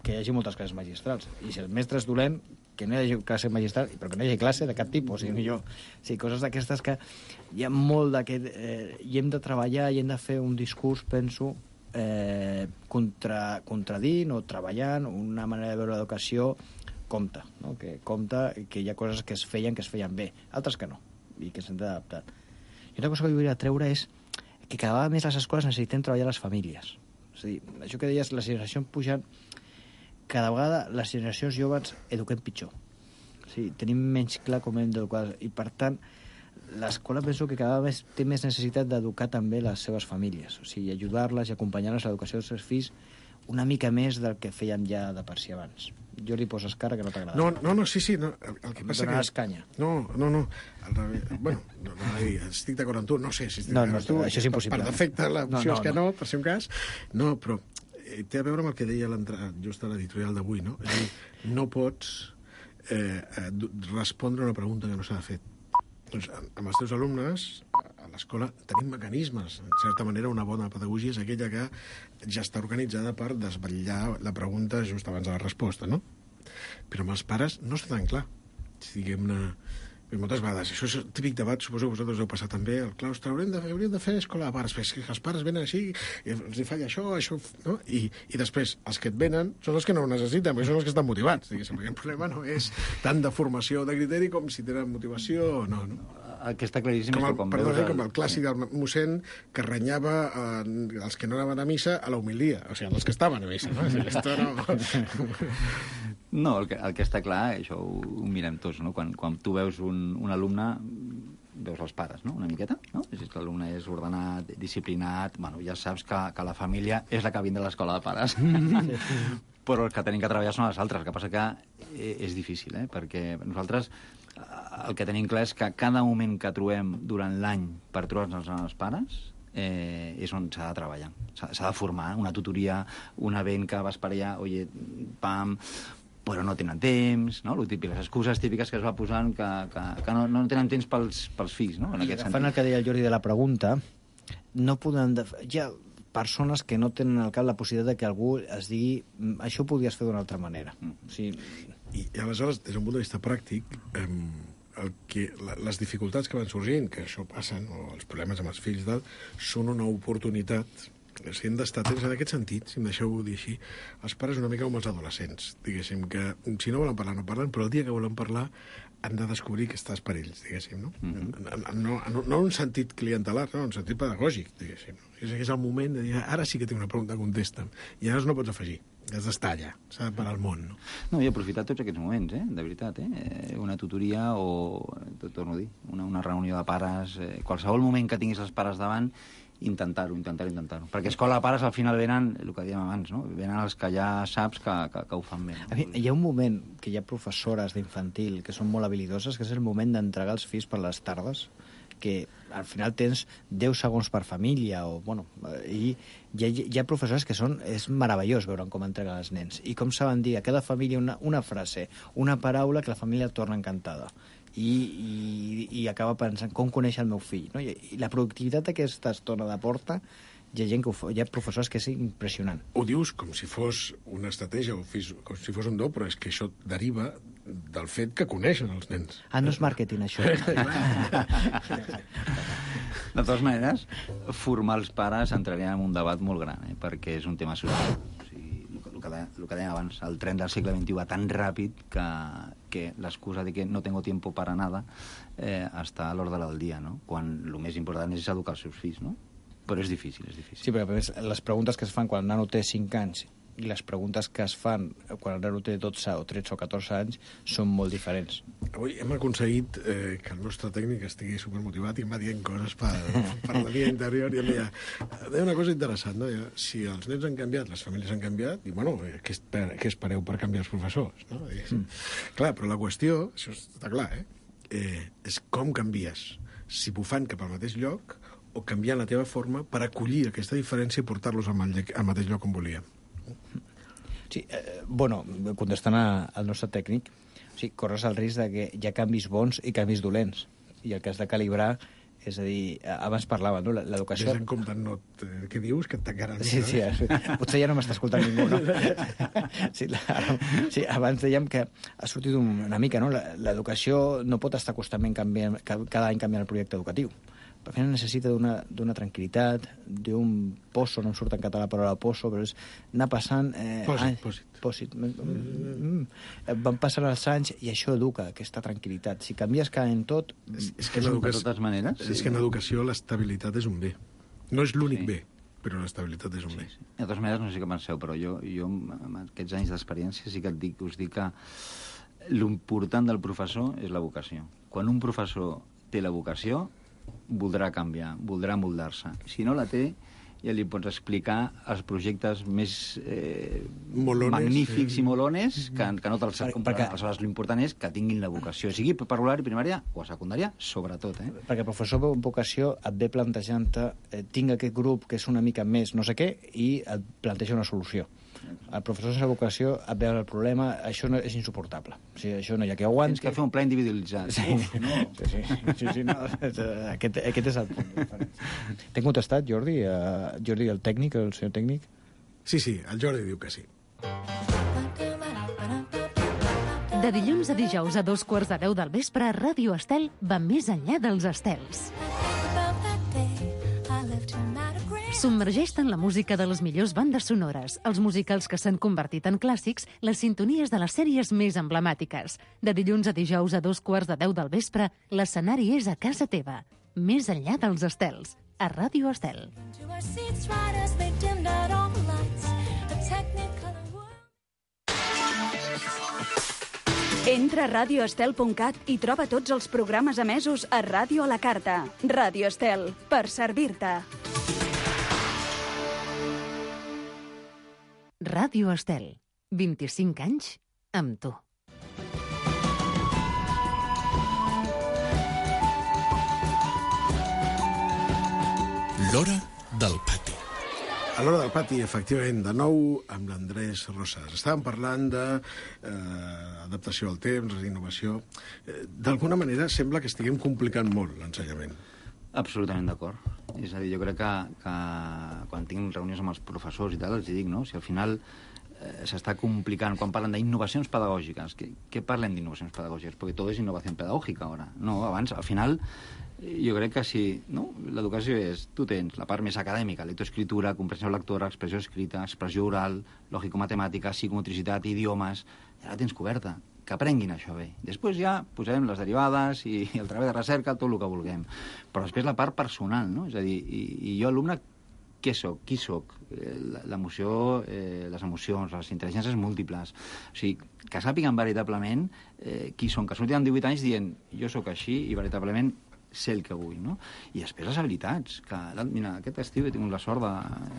que hi hagi moltes classes magistrals, i si el mestre és dolent, que no hi hagi classe magistral, però que no hi hagi classe de cap tipus, coses d'aquestes que hi ha molt d'aquest... I hem de treballar i hem de fer un discurs, penso, contradint o treballant una manera de veure l'educació compta, no? Que compta que hi ha coses que es feien bé, altres que no, i que s'han d'adaptar. I una cosa que volia treure és que cada vegada més les escoles necessitem treballar les famílies. És a dir, això que deies, les generacions pugen, cada vegada les generacions joves eduquem pitjor. O sigui, tenim menys clar com hem d'educar, i per tant, l'escola penso que cada vegada té més necessitat d'educar també les seves famílies, o sigui, ajudar-les i acompanyar-les a l'educació dels seus fills una mica més del que feien ja de per si abans. Jo li poses cara que no t'agrada. No, sí, no. El que passa que... canya. No. Al revés. Bueno, estic d'acord amb tu. No sé si estic d'acord amb tu. Això és impossible. Per defecte, l'opció és que no, per ser un cas. No, però té a veure amb el que deia just a l'editorial d'avui, no? És a dir, no pots respondre a una pregunta que no s'ha fet. Doncs amb els teus alumnes, a l'escola, tenim mecanismes. En certa manera, una bona pedagogia és aquella que ja està organitzada per desvetllar la pregunta just abans de la resposta, no? Però amb els pares no està tan clar. Diguem-ne, moltes vegades, això és el típic debat, suposo que vosaltres heu passat també, el claustre, hauríem de fer escola de pares, perquè els pares venen així, i els hi falla això, no? I després, els que et venen són els que no ho necessiten, perquè són els que estan motivats, diguéssim, perquè el problema no és tant de formació o de criteri com si tenen motivació o no. El que està claríssim és que quan veus... Com el clàssic del mossèn que renyava els que no anaven a missa a la homilia, o sigui, els que estaven a missa, no? No, el que està clar, això ho mirem tots, no? Quan tu veus un alumne, veus els pares, no? Una miqueta, no? Si l'alumne és ordenat, disciplinat, bueno, ja saps que la família és la que vindrà a l'escola de pares. Però els que tenim que treballar són els altres. El que passa que és difícil, perquè nosaltres el que tenim clar és que cada moment que trobem durant l'any per trobar-nos els pares és on s'ha de treballar. S'ha de formar una tutoria, un event que vas per allà, oye, pam... però no tenen temps, no? Les excuses típiques que es va posant que no tenen temps pels fills, no? En aquest sentit. Agafant el que deia el Jordi de la pregunta, no poden... Hi ha persones que no tenen al cap la possibilitat que algú es digui això ho podries fer d'una altra manera. O sigui... I aleshores, des d'un punt de vista pràctic, les dificultats que van sorgint, que això passen, o els problemes amb els fills, són una oportunitat. Si hem d'estar atents en aquest sentit, si em deixeu dir així, els pares una mica com els adolescents, diguéssim, que si no volen parlar, no parlen, però el dia que volen parlar han de descobrir que estàs per ells, diguéssim, no? No en un sentit clientelar, no, en un sentit pedagògic, diguéssim. És el moment de dir, ara sí que tinc una pregunta, contesta'm. I ara no pots afegir, has d'estar allà, s'ha de parar el món, no? No, i aprofitar tots aquests moments, de veritat, una tutoria o, torno a dir, una reunió de pares, qualsevol moment que tinguis els pares davant, intentar-ho. Perquè escola de pares al final venen, el que dèiem abans, no? Venen els que ja saps que ho fan bé. No? Hi ha un moment que hi ha professores d'infantil que són molt habilidoses, que és el moment d'entregar els fills per les tardes, que al final tens 10 segons per família, i hi ha professores que és meravellós veure com entreguen els nens, i com saben dir a cada família una frase, una paraula que la família torna encantada. I acaba pensant com coneix el meu fill, no? I la productivitat d'aquesta estona de porta, hi ha professors que és impressionant. Ho dius com si fos una estratègia o com si fos un do, però és que això deriva del fet que coneixen els nens. No és màrqueting, això. De totes maneres, formar els pares entraria en un debat molt gran, perquè és un tema social. El que dèiem abans, el tren del segle XXI va tan ràpid que l'excusa de que no tengo tiempo para nada està a l'ordre del dia, no? Quan el més important és educar els seus fills, no? Però és difícil. Sí, però a més, les preguntes que es fan quan el nano té 5 anys i les preguntes que es fan quan el nano té 12 o 13 o 14 anys són molt diferents. Avui hem aconseguit que el nostre tècnic estigui supermotivat i em va dient coses per la via interior, i em deia una cosa interessant, no? Si els nens han canviat, les famílies han canviat, i bueno, què espereu per canviar els professors, no? Clar, però la qüestió, això està clar, és com canvies, si bufant cap al mateix lloc o canviant la teva forma per acollir aquesta diferència i portar-los al mateix lloc on volíem. Sí, contestant al nostre tècnic, corres el risc de que hi ha canvis bons i canvis dolents, i el que has de calibrar És a dir, abans parlava, no? L'educació... Ves en compte, no, què dius? Que et tancaran... Sí, potser ja no m'està escoltant ningú, no? Sí, abans dèiem que ha sortit una mica, no? L'educació no pot estar constantment canviant, cada any canviant el projecte educatiu. Al final necessita d'una tranquil·litat, d'un pozo, no em surt en català la paraula pozo, però és anar passant... Pòsit. Van passant els anys i això educa, aquesta tranquil·litat. Si canvies cada any tot... És que de totes maneres... És que en educació l'estabilitat és un bé. No és l'únic bé, però l'estabilitat és un bé. De totes maneres, no sé què penseu, però jo amb aquests anys d'experiència sí que us dic que l'important del professor és la vocació. Quan un professor té la vocació, voldrà canviar, voldrà moldar-se. Si no la té, ja li pots explicar els projectes més magnífics i molones que no te'ls comprarà. Aleshores, l'important és que tinguin la vocació, sigui per preescolar i primària o a secundària, sobretot. Perquè el professor amb vocació et ve plantejant-te tinc aquest grup que és una mica més no sé què i et planteja una solució. El professor sense vocació et ve el problema, això no és insuportable. O sigui, això no hi ha que aguanti. Tens que fer un pla individualitzat. Sí, no. Aquest és el punt. T'he contestat, Jordi? Jordi, el tècnic, el senyor tècnic? Sí, el Jordi diu que sí. De dilluns a dijous a 2:15 del vespre, Ràdio Estel va més enllà dels estels. Submergeix-te en la música de les millors bandes sonores, els musicals que s'han convertit en clàssics, les sintonies de les sèries més emblemàtiques. De dilluns a dijous a 2:15 del vespre, l'escenari és a casa teva. Més enllà dels estels, a Ràdio Estel. Entra a radioestel.cat i troba tots els programes emesos a Ràdio a la Carta. Ràdio Estel, per servir-te. Ràdio Estel, 25 anys amb tu. L'Hora del Pati. A l'Hora del Pati, efectivament, de nou amb l'Andrés Rosas. Estàvem parlant d'adaptació al temps, d'innovació. D'alguna manera sembla que estiguem complicant molt l'ensenyament. Absolutament d'acord. És a dir, jo crec que quan tinc reunions amb els professors i tal, els dic, no? Si al final s'està complicant, quan parlen d'innovacions pedagògiques, què parlem d'innovacions pedagògiques? Perquè tot és innovació pedagògica ara. No, abans, al final, jo crec que si l'educació és, tu tens la part més acadèmica, lectoescritura, comprensió lectora, expressió escrita, expressió oral, lògico-matemàtica, psicomotricitat, idiomes, ja la tens coberta. Que aprenguin això bé. Després ja posarem les derivades i el treball de recerca, tot el que vulguem. Però després la part personal, no? És a dir, i jo, alumne, què soc? Qui soc? L'emoció, les emocions, les intel·ligències múltiples. O sigui, que sàpiguen veritablement qui són, que surtin amb 18 anys dient jo sóc així i veritablement sé el que vull, no? I després les habilitats, que mira, aquest estiu he tingut la sort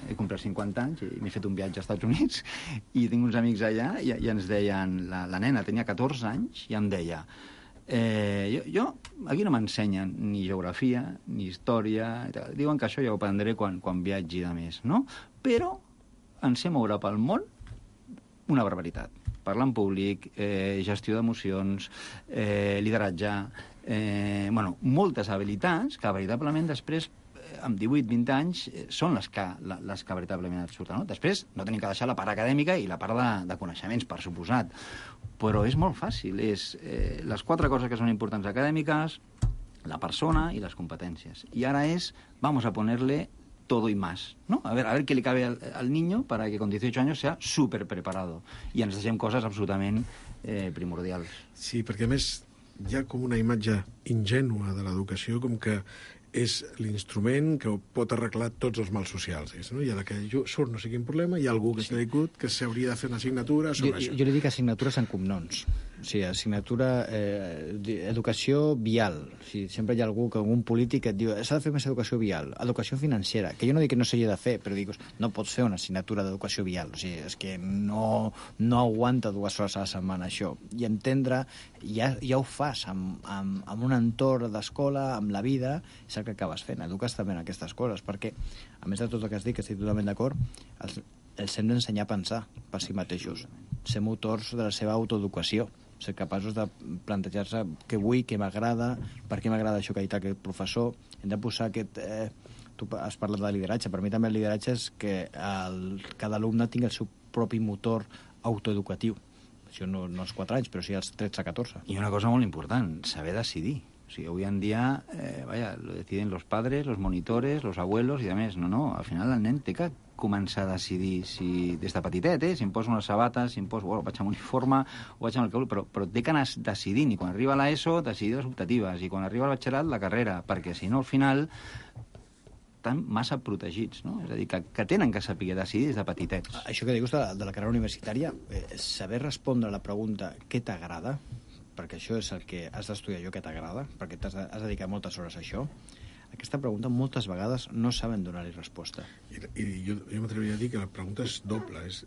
he complert 50 anys i m'he fet un viatge als Estats Units i tinc uns amics allà i ens deien, la nena tenia 14 anys i em deia jo aquí no m'ensenyen ni geografia ni història, diuen que això ja ho aprendré quan viatgi de més, no? Però en sé moure pel món una barbaritat. Parlar en públic, gestió d'emocions, lideratge, moltes habilitats que veritablement després, amb 18-20 anys, són les que veritablement et surten. No? Després no tenim que deixar la part acadèmica i la part de coneixements, per suposat. Però és molt fàcil. És les 4 coses que són importants acadèmiques, la persona i les competències. I ara vamos a ponerle todo y más, ¿no? A ver qué le cabe al niño para que con 18 años sea súper preparado. I ens deixem coses absolutament primordials. Sí, perquè a més hi ha com una imatge ingènua de l'educació, com que és l'instrument que pot arreglar tots els mals socials. No? I a la que surt no sé quin problema, hi ha algú que s'ha dit que s'hauria de fer una assignatura sobre això. Jo li dic assignatures en cognoms. O sigui, assignatura, educació vial. O sigui, sempre hi ha algú, un polític que et diu s'ha de fer més educació vial, educació financera, que jo no dic que no s'hagi de fer, però dic, no pots fer una assignatura d'educació vial. O sigui, és que no aguanta 2 hores a la setmana, això. I entendre, ja ho fas amb un entorn d'escola, amb la vida, és el que acabes fent. Eduques també en aquestes coses, perquè, a més de tot el que has dit, que estic totalment d'acord, els hem d'ensenyar a pensar per si mateixos, ser motors de la seva autoeducació. ser capaços de plantejar-se què vull, què m'agrada, per què m'agrada això que ha dit aquest professor. Hem de posar aquest... tu has parlat de lideratge. Per mi també el lideratge és que cada alumne tingui el seu propi motor autoeducatiu. Això no als 4 anys, però sí als 13-14. I una cosa molt important, saber decidir. O sigui, hoy en día, lo deciden los padres, los monitores, los abuelos i demés. No, al final el nen té que començar a decidir si des de petitet, si em poso unes sabates, si em poso, vaig amb uniforme o vaig amb el que vull, però té que anar decidint, i quan arriba a l'ESO decidir les optatives, i quan arriba al batxillerat la carrera, perquè si no al final estan massa protegits, no? És a dir, que tenen que saber decidir des de petitets. Això que dius de la carrera universitària, saber respondre a la pregunta què t'agrada, perquè això és el que has d'estudiar allò que t'agrada, perquè has dedicat moltes hores a això, aquesta pregunta moltes vegades no saben donar-hi resposta. I jo m'atreviria a dir que la pregunta és doble, és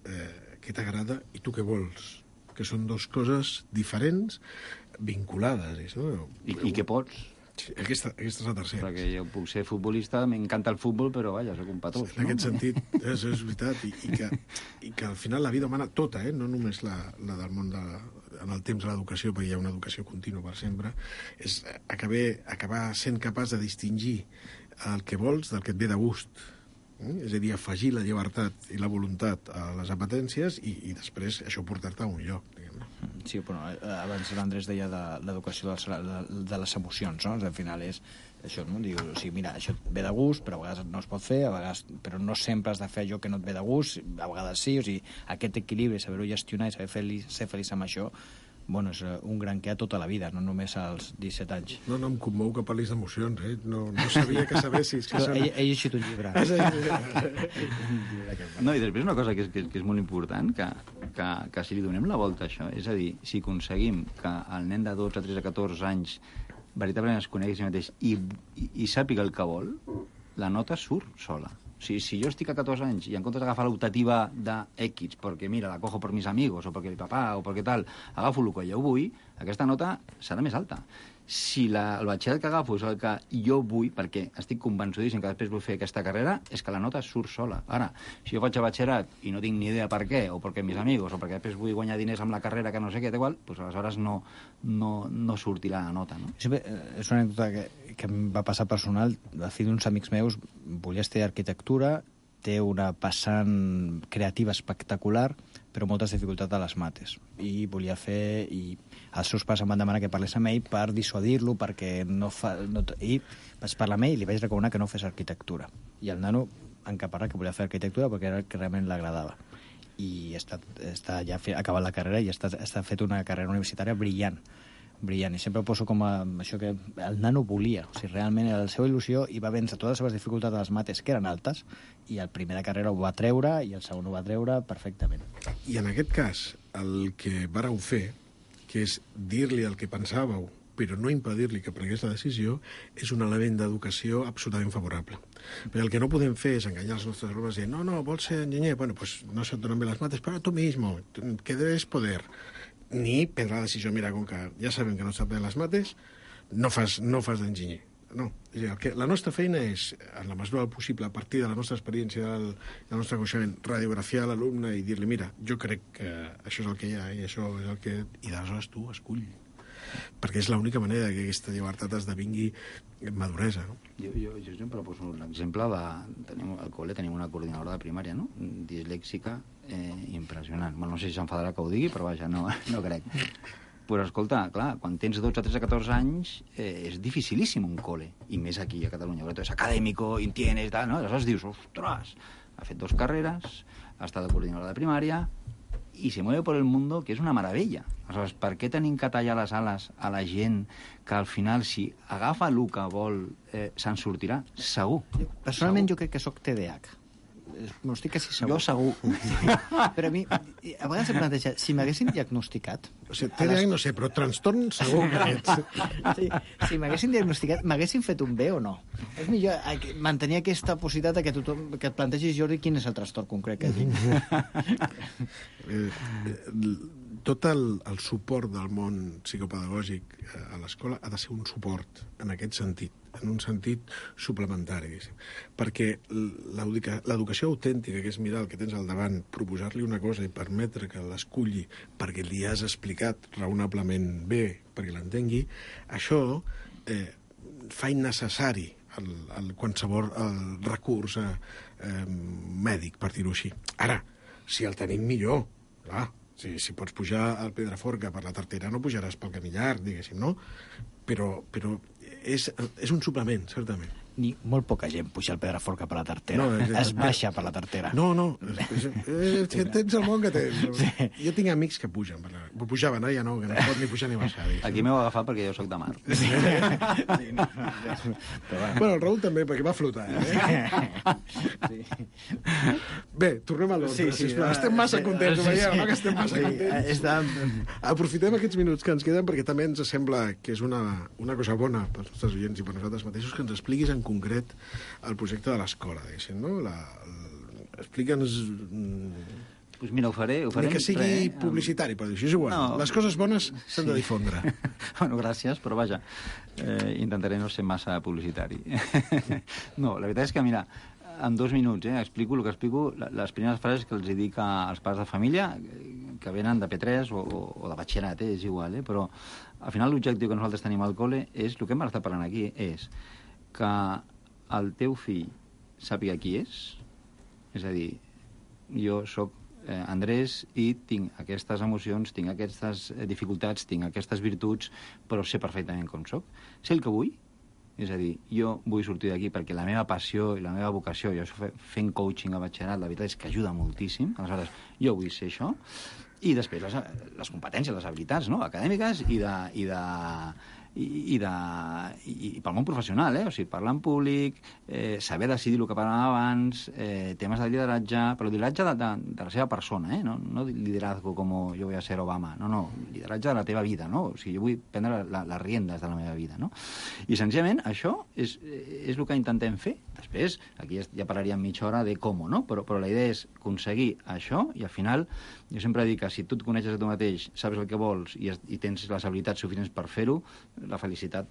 què t'agrada i tu què vols, que són dues coses diferents, vinculades. No? I què pots? Sí, aquesta és la tercera. Perquè jo puc ser futbolista, m'encanta el futbol, però vaja, soc un patós. En aquest sentit, és veritat, i que al final la vida humana tota, no només la del món en el temps de l'educació, perquè hi ha una educació contínua per sempre, és acabar sent capaç de distingir el que vols del que et ve de gust. És a dir, afegir la llibertat i la voluntat a les apetències i després això portar-te a un lloc, diguem-ne. Sí, però abans l'Andrés deia de l'educació de les emocions, no? Al final és això, no? Diu, o sigui, mira, això et ve de gust, però a vegades no es pot fer, a vegades, però no sempre has de fer allò que no et ve de gust, a vegades sí, o sigui, aquest equilibri, saber-ho gestionar i saber ser feliç amb això, bueno, és un gran que a tota la vida, no només als 17 anys. No, em commou que parlis d'emocions, No sabia que sabessis. Ell ha llegit un llibre. No, i després una cosa que és molt important, que si li donem la volta a això, és a dir, si aconseguim que el nen de 12, 13, 14 anys veritablement es conegui a si mateix i sàpiga el que vol, la nota surt sola. O sigui, si jo estic a 14 anys i en comptes d'agafar l'optativa de X, perquè mira, la cojo per mis amigos, o perquè mi papà, o perquè tal, agafo el que jo vull, aquesta nota serà més alta. Si el batxillerat que agafo és el que jo vull, perquè estic convençudíssim que després vull fer aquesta carrera, és que la nota surt sola. Ara, si jo faig el batxillerat i no tinc ni idea per què, o perquè mis amigos, o perquè després vull guanyar diners amb la carrera que no sé què, igual, doncs aleshores no sortirà la nota, no? Sempre, és una anècdota que em va passar personal. El fill d'uns amics meus volia estudiar arquitectura, té una passant creativa espectacular, però moltes dificultats a les mates. I volia fer... I els seus pares em van demanar que parlés amb ell per dissuadir-lo, perquè I vaig parlar amb ell i li vaig recomanar que no fes arquitectura. I el nano encaparrat que volia fer arquitectura perquè era el que realment l'agradava. I està ja acabat la carrera i està fet una carrera universitària brillant. I sempre ho poso com això que el nano volia, o sigui, realment era la seva il·lusió i va vèncer totes les seves dificultats a les mates, que eren altes, i el primer de carrera ho va treure i el segon ho va treure perfectament. I en aquest cas, el que vareu fer, que és dir-li el que pensàveu, però no impedir-li que prengués la decisió, és un element d'educació absolutament favorable. Perquè el que no podem fer és enganyar els nostres alumnes dient no, vols ser enginyer? Bueno, pues no se't donen bé les mates, però tu mismo, que debes poder. Ni prendre la decisió, mira, com que ja sabem que no sap bé les mates, no fas d'enginyer. No. La nostra feina és, en la mesura del possible, a partir de la nostra experiència, del nostre coneixement, radiografiar l'alumne i dir-li, mira, jo crec que això és el que hi ha i això és el que... I d'aleshores tu escull. Perquè és l'única manera que aquesta llibertat esdevingui maduresa, no? Jo sempre poso l'exemple de... Al col·le tenim una coordinadora de primària, no? Dislèxica, impressionant. Bueno, no sé si s'enfadarà que ho digui, però vaja, no crec. Però escolta, clar, quan tens 12, 13, 14 anys és dificilíssim un col·le, i més aquí a Catalunya, perquè és acadèmico, tienes, tal, no? Aleshores dius, ostres, ha fet 2 carreres, ha estat coordinadora de primària, i se mueve por el mundo, que és una meravella. Aleshores, per què tenim que tallar les ales a la gent que al final, si agafa el que vol, se'n sortirà? Segur. Personalment jo crec que sóc TDAH. No estic quasi segur. Jo segur. Però a mi, a vegades em planteja, si m'haguessin diagnosticat... O sigui, TDAH no sé, però trastorn segur que ets. Sí, si m'haguessin diagnosticat, m'haguessin fet un B o no? És millor mantenir aquesta possibilitat que et plantegis, Jordi, quin és el trastorn concret que tinc. tot el suport del món psicopedagògic a l'escola ha de ser un suport en aquest sentit, en un sentit suplementari, diguéssim. Perquè l'educació autèntica, que és mirar el que tens al davant, proposar-li una cosa i permetre que l'esculli perquè li has explicat raonablement bé, perquè l'entengui, això fa innecessari qualsevol recurs mèdic, per dir-ho així. Ara, si el tenim millor, clar, si pots pujar al Pedraforca per la tartera no pujaràs pel camí llarg, diguéssim, no? Però és un suplement, certament. Ni molt poca gent puja al Pedraforca per la tartera. Es baixa per la tartera. No. Tens el món que tens. Sí. Jo tinc amics que pugen. Pujaven, ara ja no, que no pot ni pujar ni baixar. Aquí m'heu agafat perquè jo soc de mar. Sí. Bueno, el Raül també, perquè va flotar. Sí. Bé, tornem a l'ordre. Sí, estem massa contents, veieu, no? Que estem massa contents. Aprofitem aquests minuts que ens queden perquè també ens sembla que és una cosa bona pels nostres oients i per nosaltres mateixos que ens expliquis en concret el projecte de l'escola, diguéssim, no? Explica'ns... Pues mira, ho faré... Ni que sigui publicitari, però això és igual. No. Les coses bones s'han de difondre. Bueno, gràcies, però vaja, intentaré no ser massa publicitari. No, la veritat és que, mira, en 2 minuts, explico el que explico, les primeres frases que els dic als pares de família, que venen de P3 o de batxillerat, és igual, però al final l'objectiu que nosaltres tenim al col·le és, el que hem estat parlant aquí, és que el teu fill sàpiga qui és a dir, jo sóc Andrés i tinc aquestes emocions, tinc aquestes dificultats, tinc aquestes virtuts, però sé perfectament com sóc. Sé el que vull, és a dir, jo vull sortir d'aquí perquè la meva passió i la meva vocació, jo fent coaching a batxillerat, la veritat és que ajuda moltíssim, aleshores jo vull ser això, i després les competències, les habilitats, no?, acadèmiques i pel món professional, o sigui, parlar en públic, saber decidir el que parlàvem abans, temes de lideratge, però lideratge de la seva persona, no liderazgo com jo voy a ser Obama, no, lideratge de la teva vida, no? O sigui, jo vull prendre les riendes de la meva vida, no? I senzillament això és el que intentem fer. Després, aquí ja parlaríem mitja hora de com, no? Però la idea és aconseguir això i al final, jo sempre dic que si tu et coneixes a tu mateix, saps el que vols i tens les habilitats suficients per fer-ho, la felicitat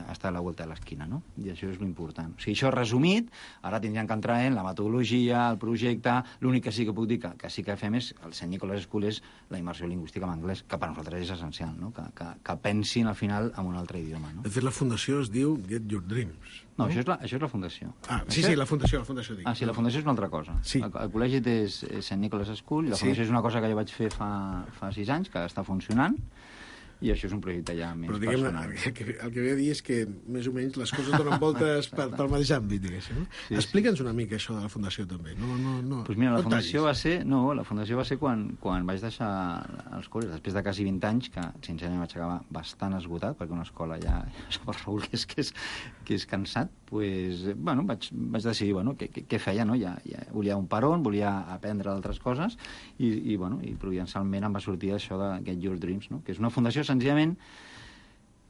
està a la volta de l'esquina, no? I això és l'important. O sigui, això resumit, ara tindríem que entrar en la metodologia, el projecte. L'únic que sí que puc dir que sí que fem és, el Sant Nicolas School és la immersió lingüística en anglès, que per nosaltres és essencial, no? Que pensin al final en un altre idioma, no? De fet, la fundació es diu Get Your Dreams. No, això és la fundació. Sí, la fundació dic. Sí, la fundació és una altra cosa. Sí. El col·legi és Sant Nicolas School, i la fundació és una cosa que jo vaig fer fa 6 anys, que està funcionant, i això és un projecte ja més personal. El que ve a dir és que més o menys les coses donen voltes pel mateix àmbit, diguéssim. Sí. Explica'ns una mica això de la fundació també. Pues mira, la fundació va ser quan vaig deixar els col·legis, després de quasi 20 anys, que sincerament vaig acabar bastant esgotat, perquè una escola ja per Raül que és cansat, pues, bueno, vaig decidir què feia, no? Ja volia un peron, volia aprendre d'altres coses, i providencialment em va sortir això de Get Your Dreams, no? Que és una fundació senzillament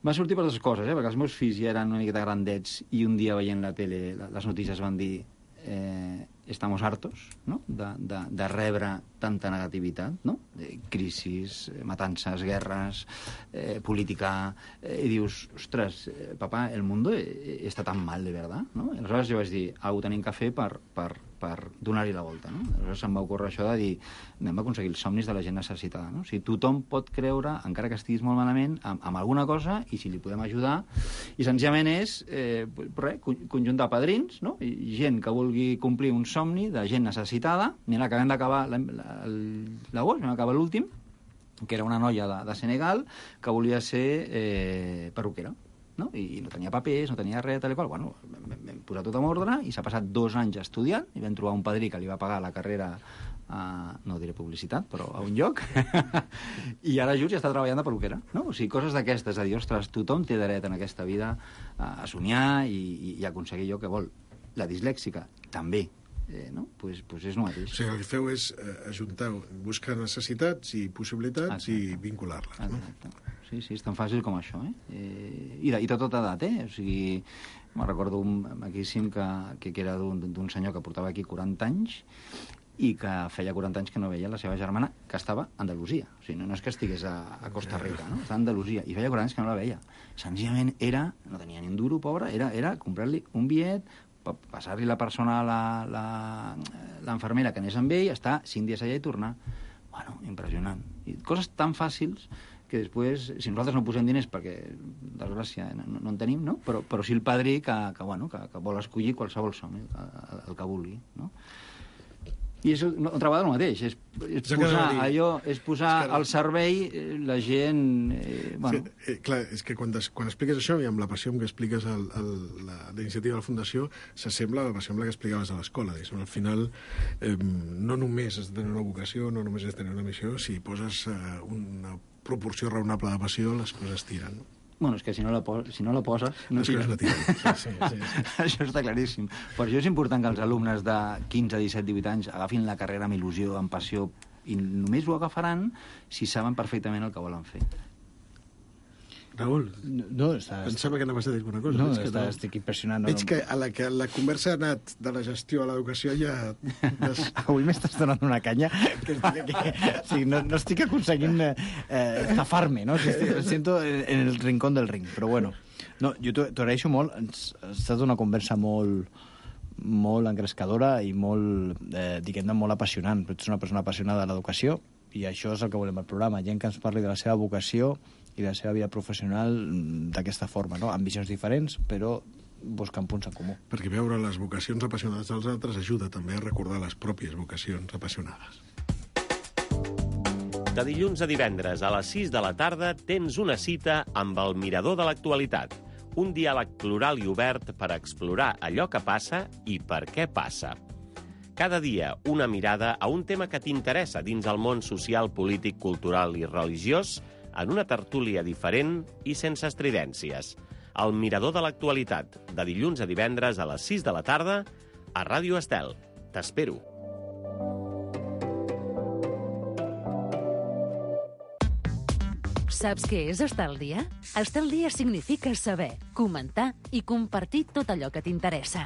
va sortir per 2 coses, perquè els meus fills ja eren una miqueta grandets i un dia veient la tele les notícies van dir estamos hartos, no? de rebre tanta negativitat, no? Crisis, matances, guerres, política, i dius, ostres, papà, el mundo està tan mal de verdad, no? I aleshores jo vaig dir, ho tenim que fer per donar-hi la volta, no? Aleshores em va ocórrer això de dir, anem a aconseguir els somnis de la gent necessitada, no? O sigui, tothom pot creure, encara que estiguis molt malament, amb alguna cosa, i si li podem ajudar, i senzillament és conjunt de padrins, no? I gent que vulgui complir un somni de gent necessitada. Mira, acabem d'acabar l'agost, vam acabar l'últim, que era una noia de Senegal que volia ser perruquera, no? I no tenia papers, no tenia res, tal i qual. Bueno, vam posar tot en ordre i s'ha passat 2 anys estudiant i vam trobar un padrí que li va pagar la carrera no diré publicitat, però a un lloc, i ara just ja està treballant de perruquera, no? O sigui, coses d'aquestes, a dir, ostres, tothom té dret en aquesta vida a somiar i aconseguir allò que vol. La dislèxica, també, no? Pues és el mateix. O sigui, el que feu és ajuntar, buscar necessitats i possibilitats i vincular-les, no? Exacte. Sí, és tan fàcil com això, I de tota edat, O sigui, me'n recordo un maquíssim que era d'un senyor que portava aquí 40 anys i que feia 40 anys que no veia la seva germana, que estava a Andalusia. O sigui, no és que estigués a Costa Rica, no? Estava a Andalusia, i feia 40 anys que no la veia. Senzillament no tenia ni un duro, pobra, era comprar-li un bitllet, passar-li la persona a l'enfermera que anés amb ell, estar 5 dies allà i tornar. Bueno, impressionant. I coses tan fàcils que després, si nosaltres no posem diners, perquè, desgràcia, no en tenim, no? Però sí el padrí que vol escollir qualsevol som, el que vulgui, no? I és otra vegada el mateix, és posar al servei la gent... Clar, és que quan expliques això, i amb la passió amb què expliques la iniciativa de la Fundació, s'assembla a la passió amb la que explicaves a l'escola. Al final, no només has de tenir una vocació, no només has de tenir una missió, si poses una proporció raonable de passió, les coses tiren. Bueno, és que si no la poses, no tires. Sí. Això està claríssim. Per això és important que els alumnes de 15, 17, 18 anys agafin la carrera amb il·lusió, amb passió, i només ho agafaran si saben perfectament el que volen fer. Raül, pensava que anaves a dir alguna cosa. No, estic impressionat. Veig que a la conversa ha anat de la gestió a l'educació ja... Avui m'estàs donant una canya que no estic aconseguint zafar-me, no? Sento en el rincón del ring, però bueno. No, jo t'ho agraeixo molt. Ha estat una conversa molt engrescadora i molt, diguem-ne, molt apassionant. Ets una persona apassionada de l'educació i això és el que volem al programa. Gent que ens parli de la seva vocació i de la seva vida professional d'aquesta forma, no? Amb visions diferents, però buscant punts en comú. Perquè veure les vocacions apassionades dels altres ajuda també a recordar les pròpies vocacions apassionades. De dilluns a divendres a les 6 de la tarda tens una cita amb el Mirador de l'Actualitat, un diàleg plural i obert per explorar allò que passa i per què passa. Cada dia una mirada a un tema que t'interessa dins el món social, polític, cultural i religiós, en una tertúlia diferent i sense estridències. El Mirador de l'Actualitat, de dilluns a divendres a les 6 de la tarda, a Ràdio Estel. T'espero. Saps què és estar al dia? Estar al dia significa saber, comentar i compartir tot allò que t'interessa.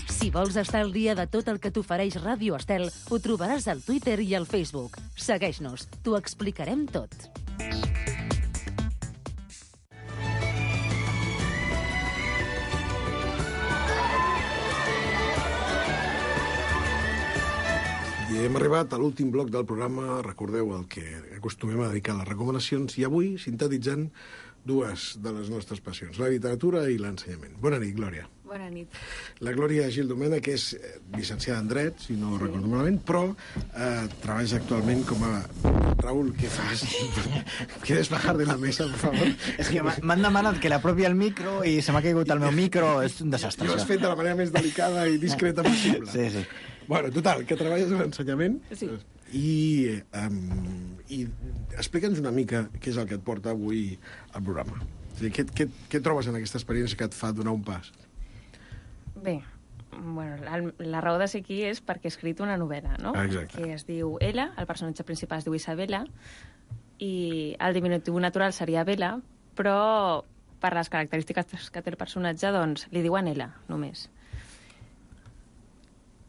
Si vols estar al dia de tot el que t'ofereix Ràdio Estel, ho trobaràs al Twitter i al Facebook. Segueix-nos, t'ho explicarem tot. I hem arribat a l'últim bloc del programa, recordeu el que acostumem a dedicar a les recomanacions, i avui sintetitzant dues de les nostres passions, la literatura i l'ensenyament. Bona nit, Glòria. Bona nit. La Glòria Gil Domènech, que és llicenciada en Dret, si no recordo malament, però treballes actualment com a... Raül, què fas? ¿Quieres bajar de la mesa, por favor? És que m'han demanat que l'apropi el micro i se m'ha caigut el meu micro, és un desastre. I ho has fet de la manera més delicada i discreta possible. Sí. Bueno, total, que treballes en l'ensenyament. Sí. I explica'ns una mica què és el que et porta avui al programa. És a dir, què trobes en aquesta experiència que et fa donar un pas? Bé, bueno, la raó de ser aquí és perquè he escrit una novel·la, no? Exacte. Que es diu Ella, el personatge principal es diu Isabela, i el diminutiu natural seria Bella, però per les característiques que té el personatge, doncs, li diuen Ella, només.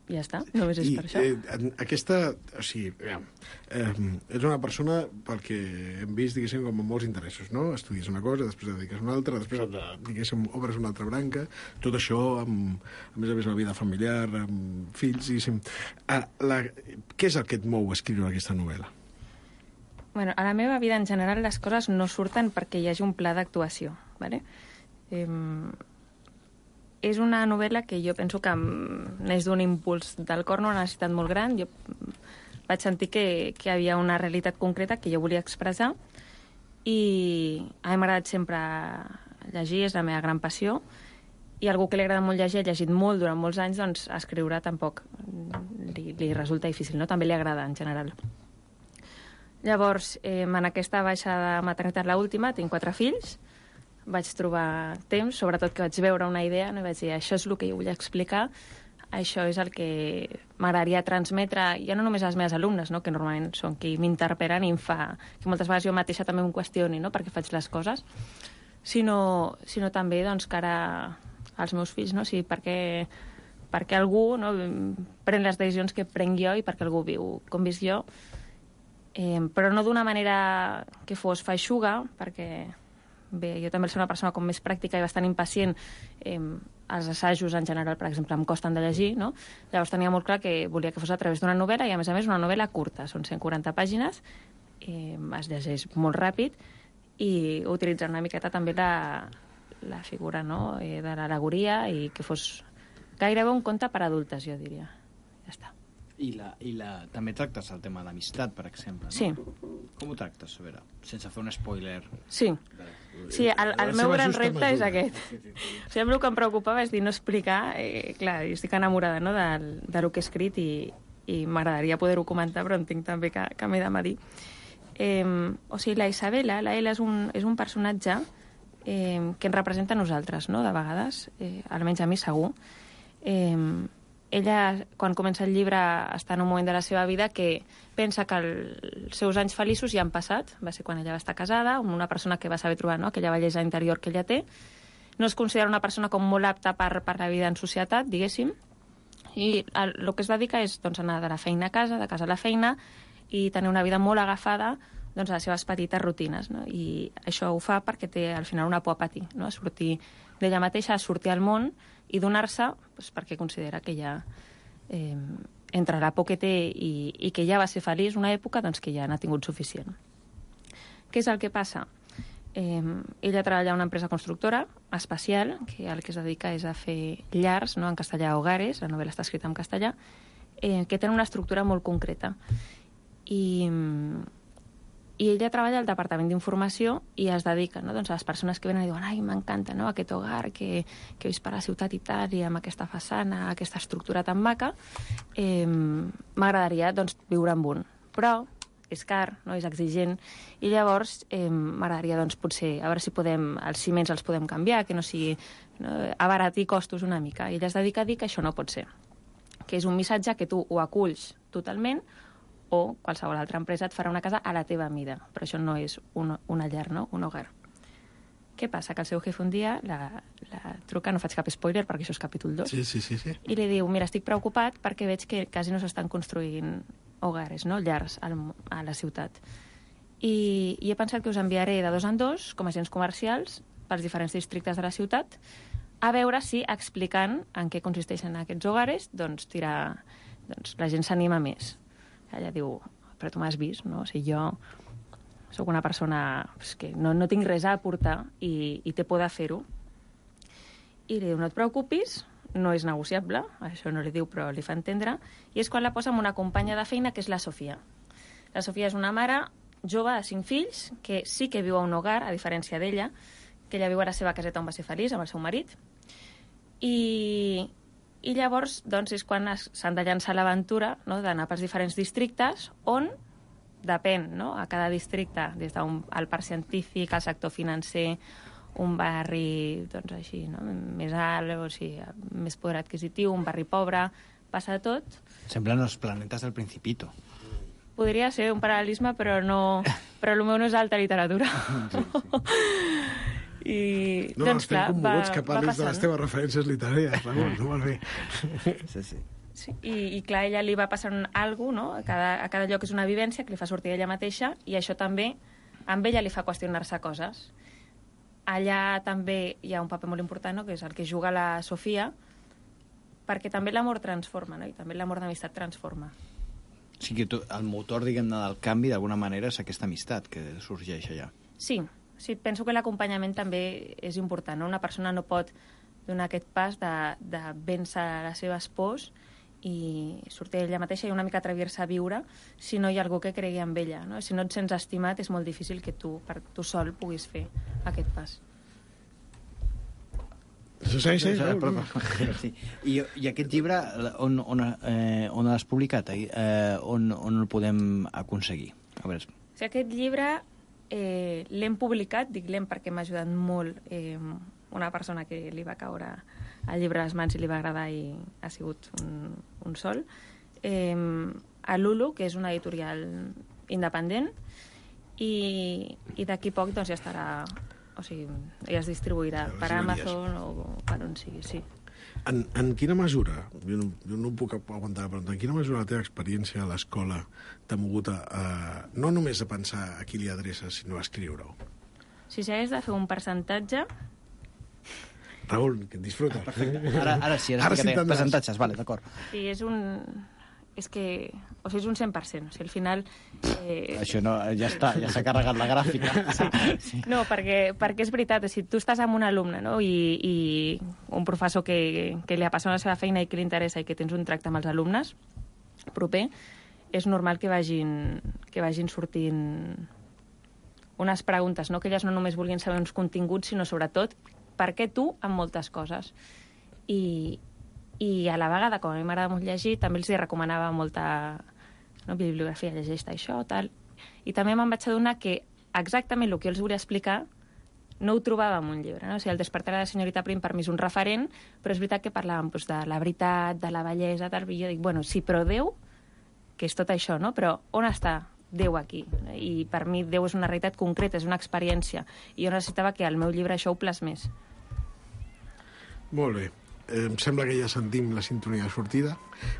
Ja està, només és per això. Aquesta, o sigui, és una persona, pel que hem vist, diguéssim, com amb molts interessos, no? Estudies una cosa, després et dediques a una altra, després, diguéssim, obres una altra branca, tot això amb, a més a més, la vida familiar, amb fills, diguéssim. Què és el que et mou a escriure aquesta novel·la? Bueno, a la meva vida, en general, les coses no surten perquè hi hagi un pla d'actuació, ¿vale? És una novel·la que jo penso que neix d'un impuls del cor, una necessitat molt gran. Jo vaig sentir que hi havia una realitat concreta que jo volia expressar i a mi m'ha agradat sempre llegir, és la meva gran passió, i algú que li agrada molt llegir, ha llegit molt durant molts anys, doncs escriure tampoc li resulta difícil, no? També li agrada en general. Llavors, en aquesta baixa de maternitat, l'última, tinc 4 fills, vaig trobar temps, sobretot que vaig veure una idea, no? I vaig dir, això és el que jo vull explicar, això és el que m'agradaria transmetre, ja no només a les meves alumnes, no? Que normalment són qui m'interpel·len i em fa... que moltes vegades jo mateixa també em qüestioni, no? Per què faig les coses, sinó també doncs, cara als meus fills, no? O sigui, per què algú pren les decisions que prenc jo i per què algú viu com visc jo, però no d'una manera que fos feixuga, perquè bé, jo també soc una persona com més pràctica i bastant impacient. Els assajos en general, per exemple, em costen de llegir, no? Llavors tenia molt clar que volia que fos a través d'una novel·la i, a més una novel·la curta. Són 140 pàgines, es llegeix molt ràpid i utilitzar una miqueta també la figura de l'al·legoria i que fos gairebé un conte per adultes, jo diria. Ja està. I també tractes el tema d'amistat, per exemple, no? Sí. Com ho tractes, a veure, sense fer un spoiler? Sí, el meu gran repte és aquest. O sigui, el que em preocupava és dir, no explicar, clar, jo estic enamorada de lo que he escrit i m'agradaria poder-ho comentar, però entenc també que m'he de medir. O sigui, la Isabela, la Ela, és un personatge que ens representa a nosaltres, no?, de vegades, almenys a mi segur. Ella, quan comença el llibre, està en un moment de la seva vida que pensa que els seus anys feliços ja han passat. Va ser quan ella va estar casada, amb una persona que va saber trobar aquella bellesa interior que ella té. No es considera una persona com molt apta per la vida en societat, diguéssim, i el que es dedica és anar de la feina a casa, de casa a la feina, i tenir una vida molt agafada a les seves petites rutines, no? I això ho fa perquè té al final una por a patir, no? A sortir d'ella mateixa, a sortir al món i donar-se perquè considera que ja entre la por que té i que ja va ser feliç una època, que ja n'ha tingut suficient. Què és el que passa? Ella treballa a una empresa constructora espacial, que el que es dedica és a fer llars, no? En castellà, hogares, la novel·la està escrita en castellà, que tenen una estructura molt concreta. I ella treballa al Departament d'Informació i es dedica a les persones que venen i diuen ai, m'encanta aquest hogar que he vist per la ciutat i tal, i amb aquesta façana, aquesta estructura tan maca, m'agradaria viure amb un. Però és car, és exigent, i llavors m'agradaria potser a veure si els ciments els podem canviar, que no sigui abaratir costos una mica. I ella es dedica a dir que això no pot ser, que és un missatge que tu ho aculls totalment o qualsevol altra empresa et farà una casa a la teva mida, però això no és una llar, no? Un hogar. Què passa? Que el seu jefe un dia la truca, no faig cap spoiler perquè això és capítol 2, sí. I li diu, mira, estic preocupat perquè veig que quasi no s'estan construint hogares, no? Llars a la ciutat. I he pensat que us enviaré de 2 en 2, com a agents comercials, pels diferents districtes de la ciutat, a veure si, explicant en què consisteixen aquests hogares, la gent s'anima més. Ella diu, però tu m'has vist, no? O sigui, jo sóc una persona que no tinc res a aportar i té por de fer-ho. I li diu, no et preocupis, no és negociable, això no li diu però li fa entendre, i és quan la posa amb una companya de feina que és la Sofia. La Sofia és una mare jove de 5 fills que sí que viu a un hogar, a diferència d'ella, que ella viu a la seva caseta on va ser feliç amb el seu marit, i llavors és quan s'han de llançar l'aventura d'anar pels diferents districtes on depèn, a cada districte, des del parc científic, al sector financer, un barri així, més alt, o sigui, més poder adquisitiu, un barri pobre, passa de tot. Semblen els planetes del Principito. Podria ser un paral·lelisme, però el meu no és alta literatura. I, no, estem commoguts que parlis de les teves referències literàries, Ramon, no vol dir. Sí, i clar, ella li va passar alguna cosa, no? A cada lloc és una vivència que li fa sortir ella mateixa, i això també amb ella li fa qüestionar-se coses. Allà també hi ha un paper molt important, no? Que és el que juga la Sofia, perquè també l'amor transforma, no? I també l'amor d'amistat transforma. O sigui que el motor, diguem-ne, del canvi, d'alguna manera, és aquesta amistat que sorgeix allà. Sí, penso que l'acompanyament també és important, no? Una persona no pot donar aquest pas de vèncer les seves pors i sortir ella mateixa i una mica atrevir-se a viure si no hi ha algú que cregui en ella, no? Si no et sents estimat és molt difícil que tu, per tu sol, puguis fer aquest pas. Sí. I aquest llibre, on l'has publicat? On el podem aconseguir? A veure. Sí, aquest llibre l'hem publicat, dic l'hem perquè m'ha ajudat molt una persona que li va caure el llibre a les mans i li va agradar i ha sigut un sol, a Lulu, que és una editorial independent, i d'aquí poc ja estarà, o sigui, ja es distribuirà per Amazon o per on sigui, sí. En quina mesura, jo no puc aguantar, però en quina mesura la teva experiència a l'escola t'ha mogut no només a pensar a qui li adreces, sinó a escriure-ho? Si s'hagués de fer un percentatge... Raül, que et disfruta. Ara sí, percentatges, vale, d'acord. Sí, és que... O sigui, és un 100%. O sigui, al final... Això no, ja està, ja s'ha carregat la gràfica. Sí. No, perquè és veritat, si tu estàs amb un alumne, no?, i un professor que li apassiona la seva feina i que li interessa i que tens un tracte amb els alumnes proper, és normal que vagin sortint unes preguntes, no?, que elles no només vulguin saber uns continguts, sinó sobretot per què tu amb moltes coses. I a la vegada, com a mi m'agrada molt llegir, també els hi recomanava molta bibliografia, llegeix-te això, tal. I també me'n vaig adonar que exactament el que jo els volia explicar no ho trobava en un llibre, no? O sigui, el despertar de la senyorita Prim per mi és un referent, però és veritat que parlàvem doncs, de la veritat, de la bellesa, tal, i jo dic, bueno, sí, però Déu, que és tot això, no? Però on està Déu aquí? I per mi Déu és una realitat concreta, és una experiència, i jo necessitava que el meu llibre això ho plasmés. Molt bé. Em sembla que ja sentim la sintonia de sortida.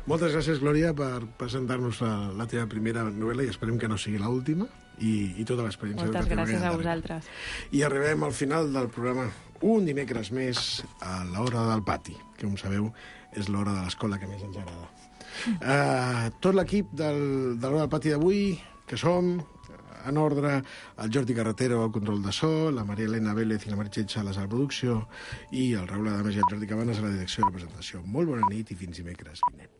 Moltes gràcies, Glòria, per presentar-nos la teva primera novel·la i esperem que no sigui l'última i tota l'experiència. Moltes gràcies a vosaltres. I arribem al final del programa un dimecres més a l'hora del pati, que, com sabeu, és l'hora de l'escola que més ens agrada. Tot l'equip de l'hora del pati d'avui, que som... En ordre, el Jordi Carretero al control de so, la Maria Elena Vélez i la Meritxell Sales a la producció i el Raül Adames i el Jordi Cabanes a la direcció i la presentació. Molt bona nit i fins dimecres vinent.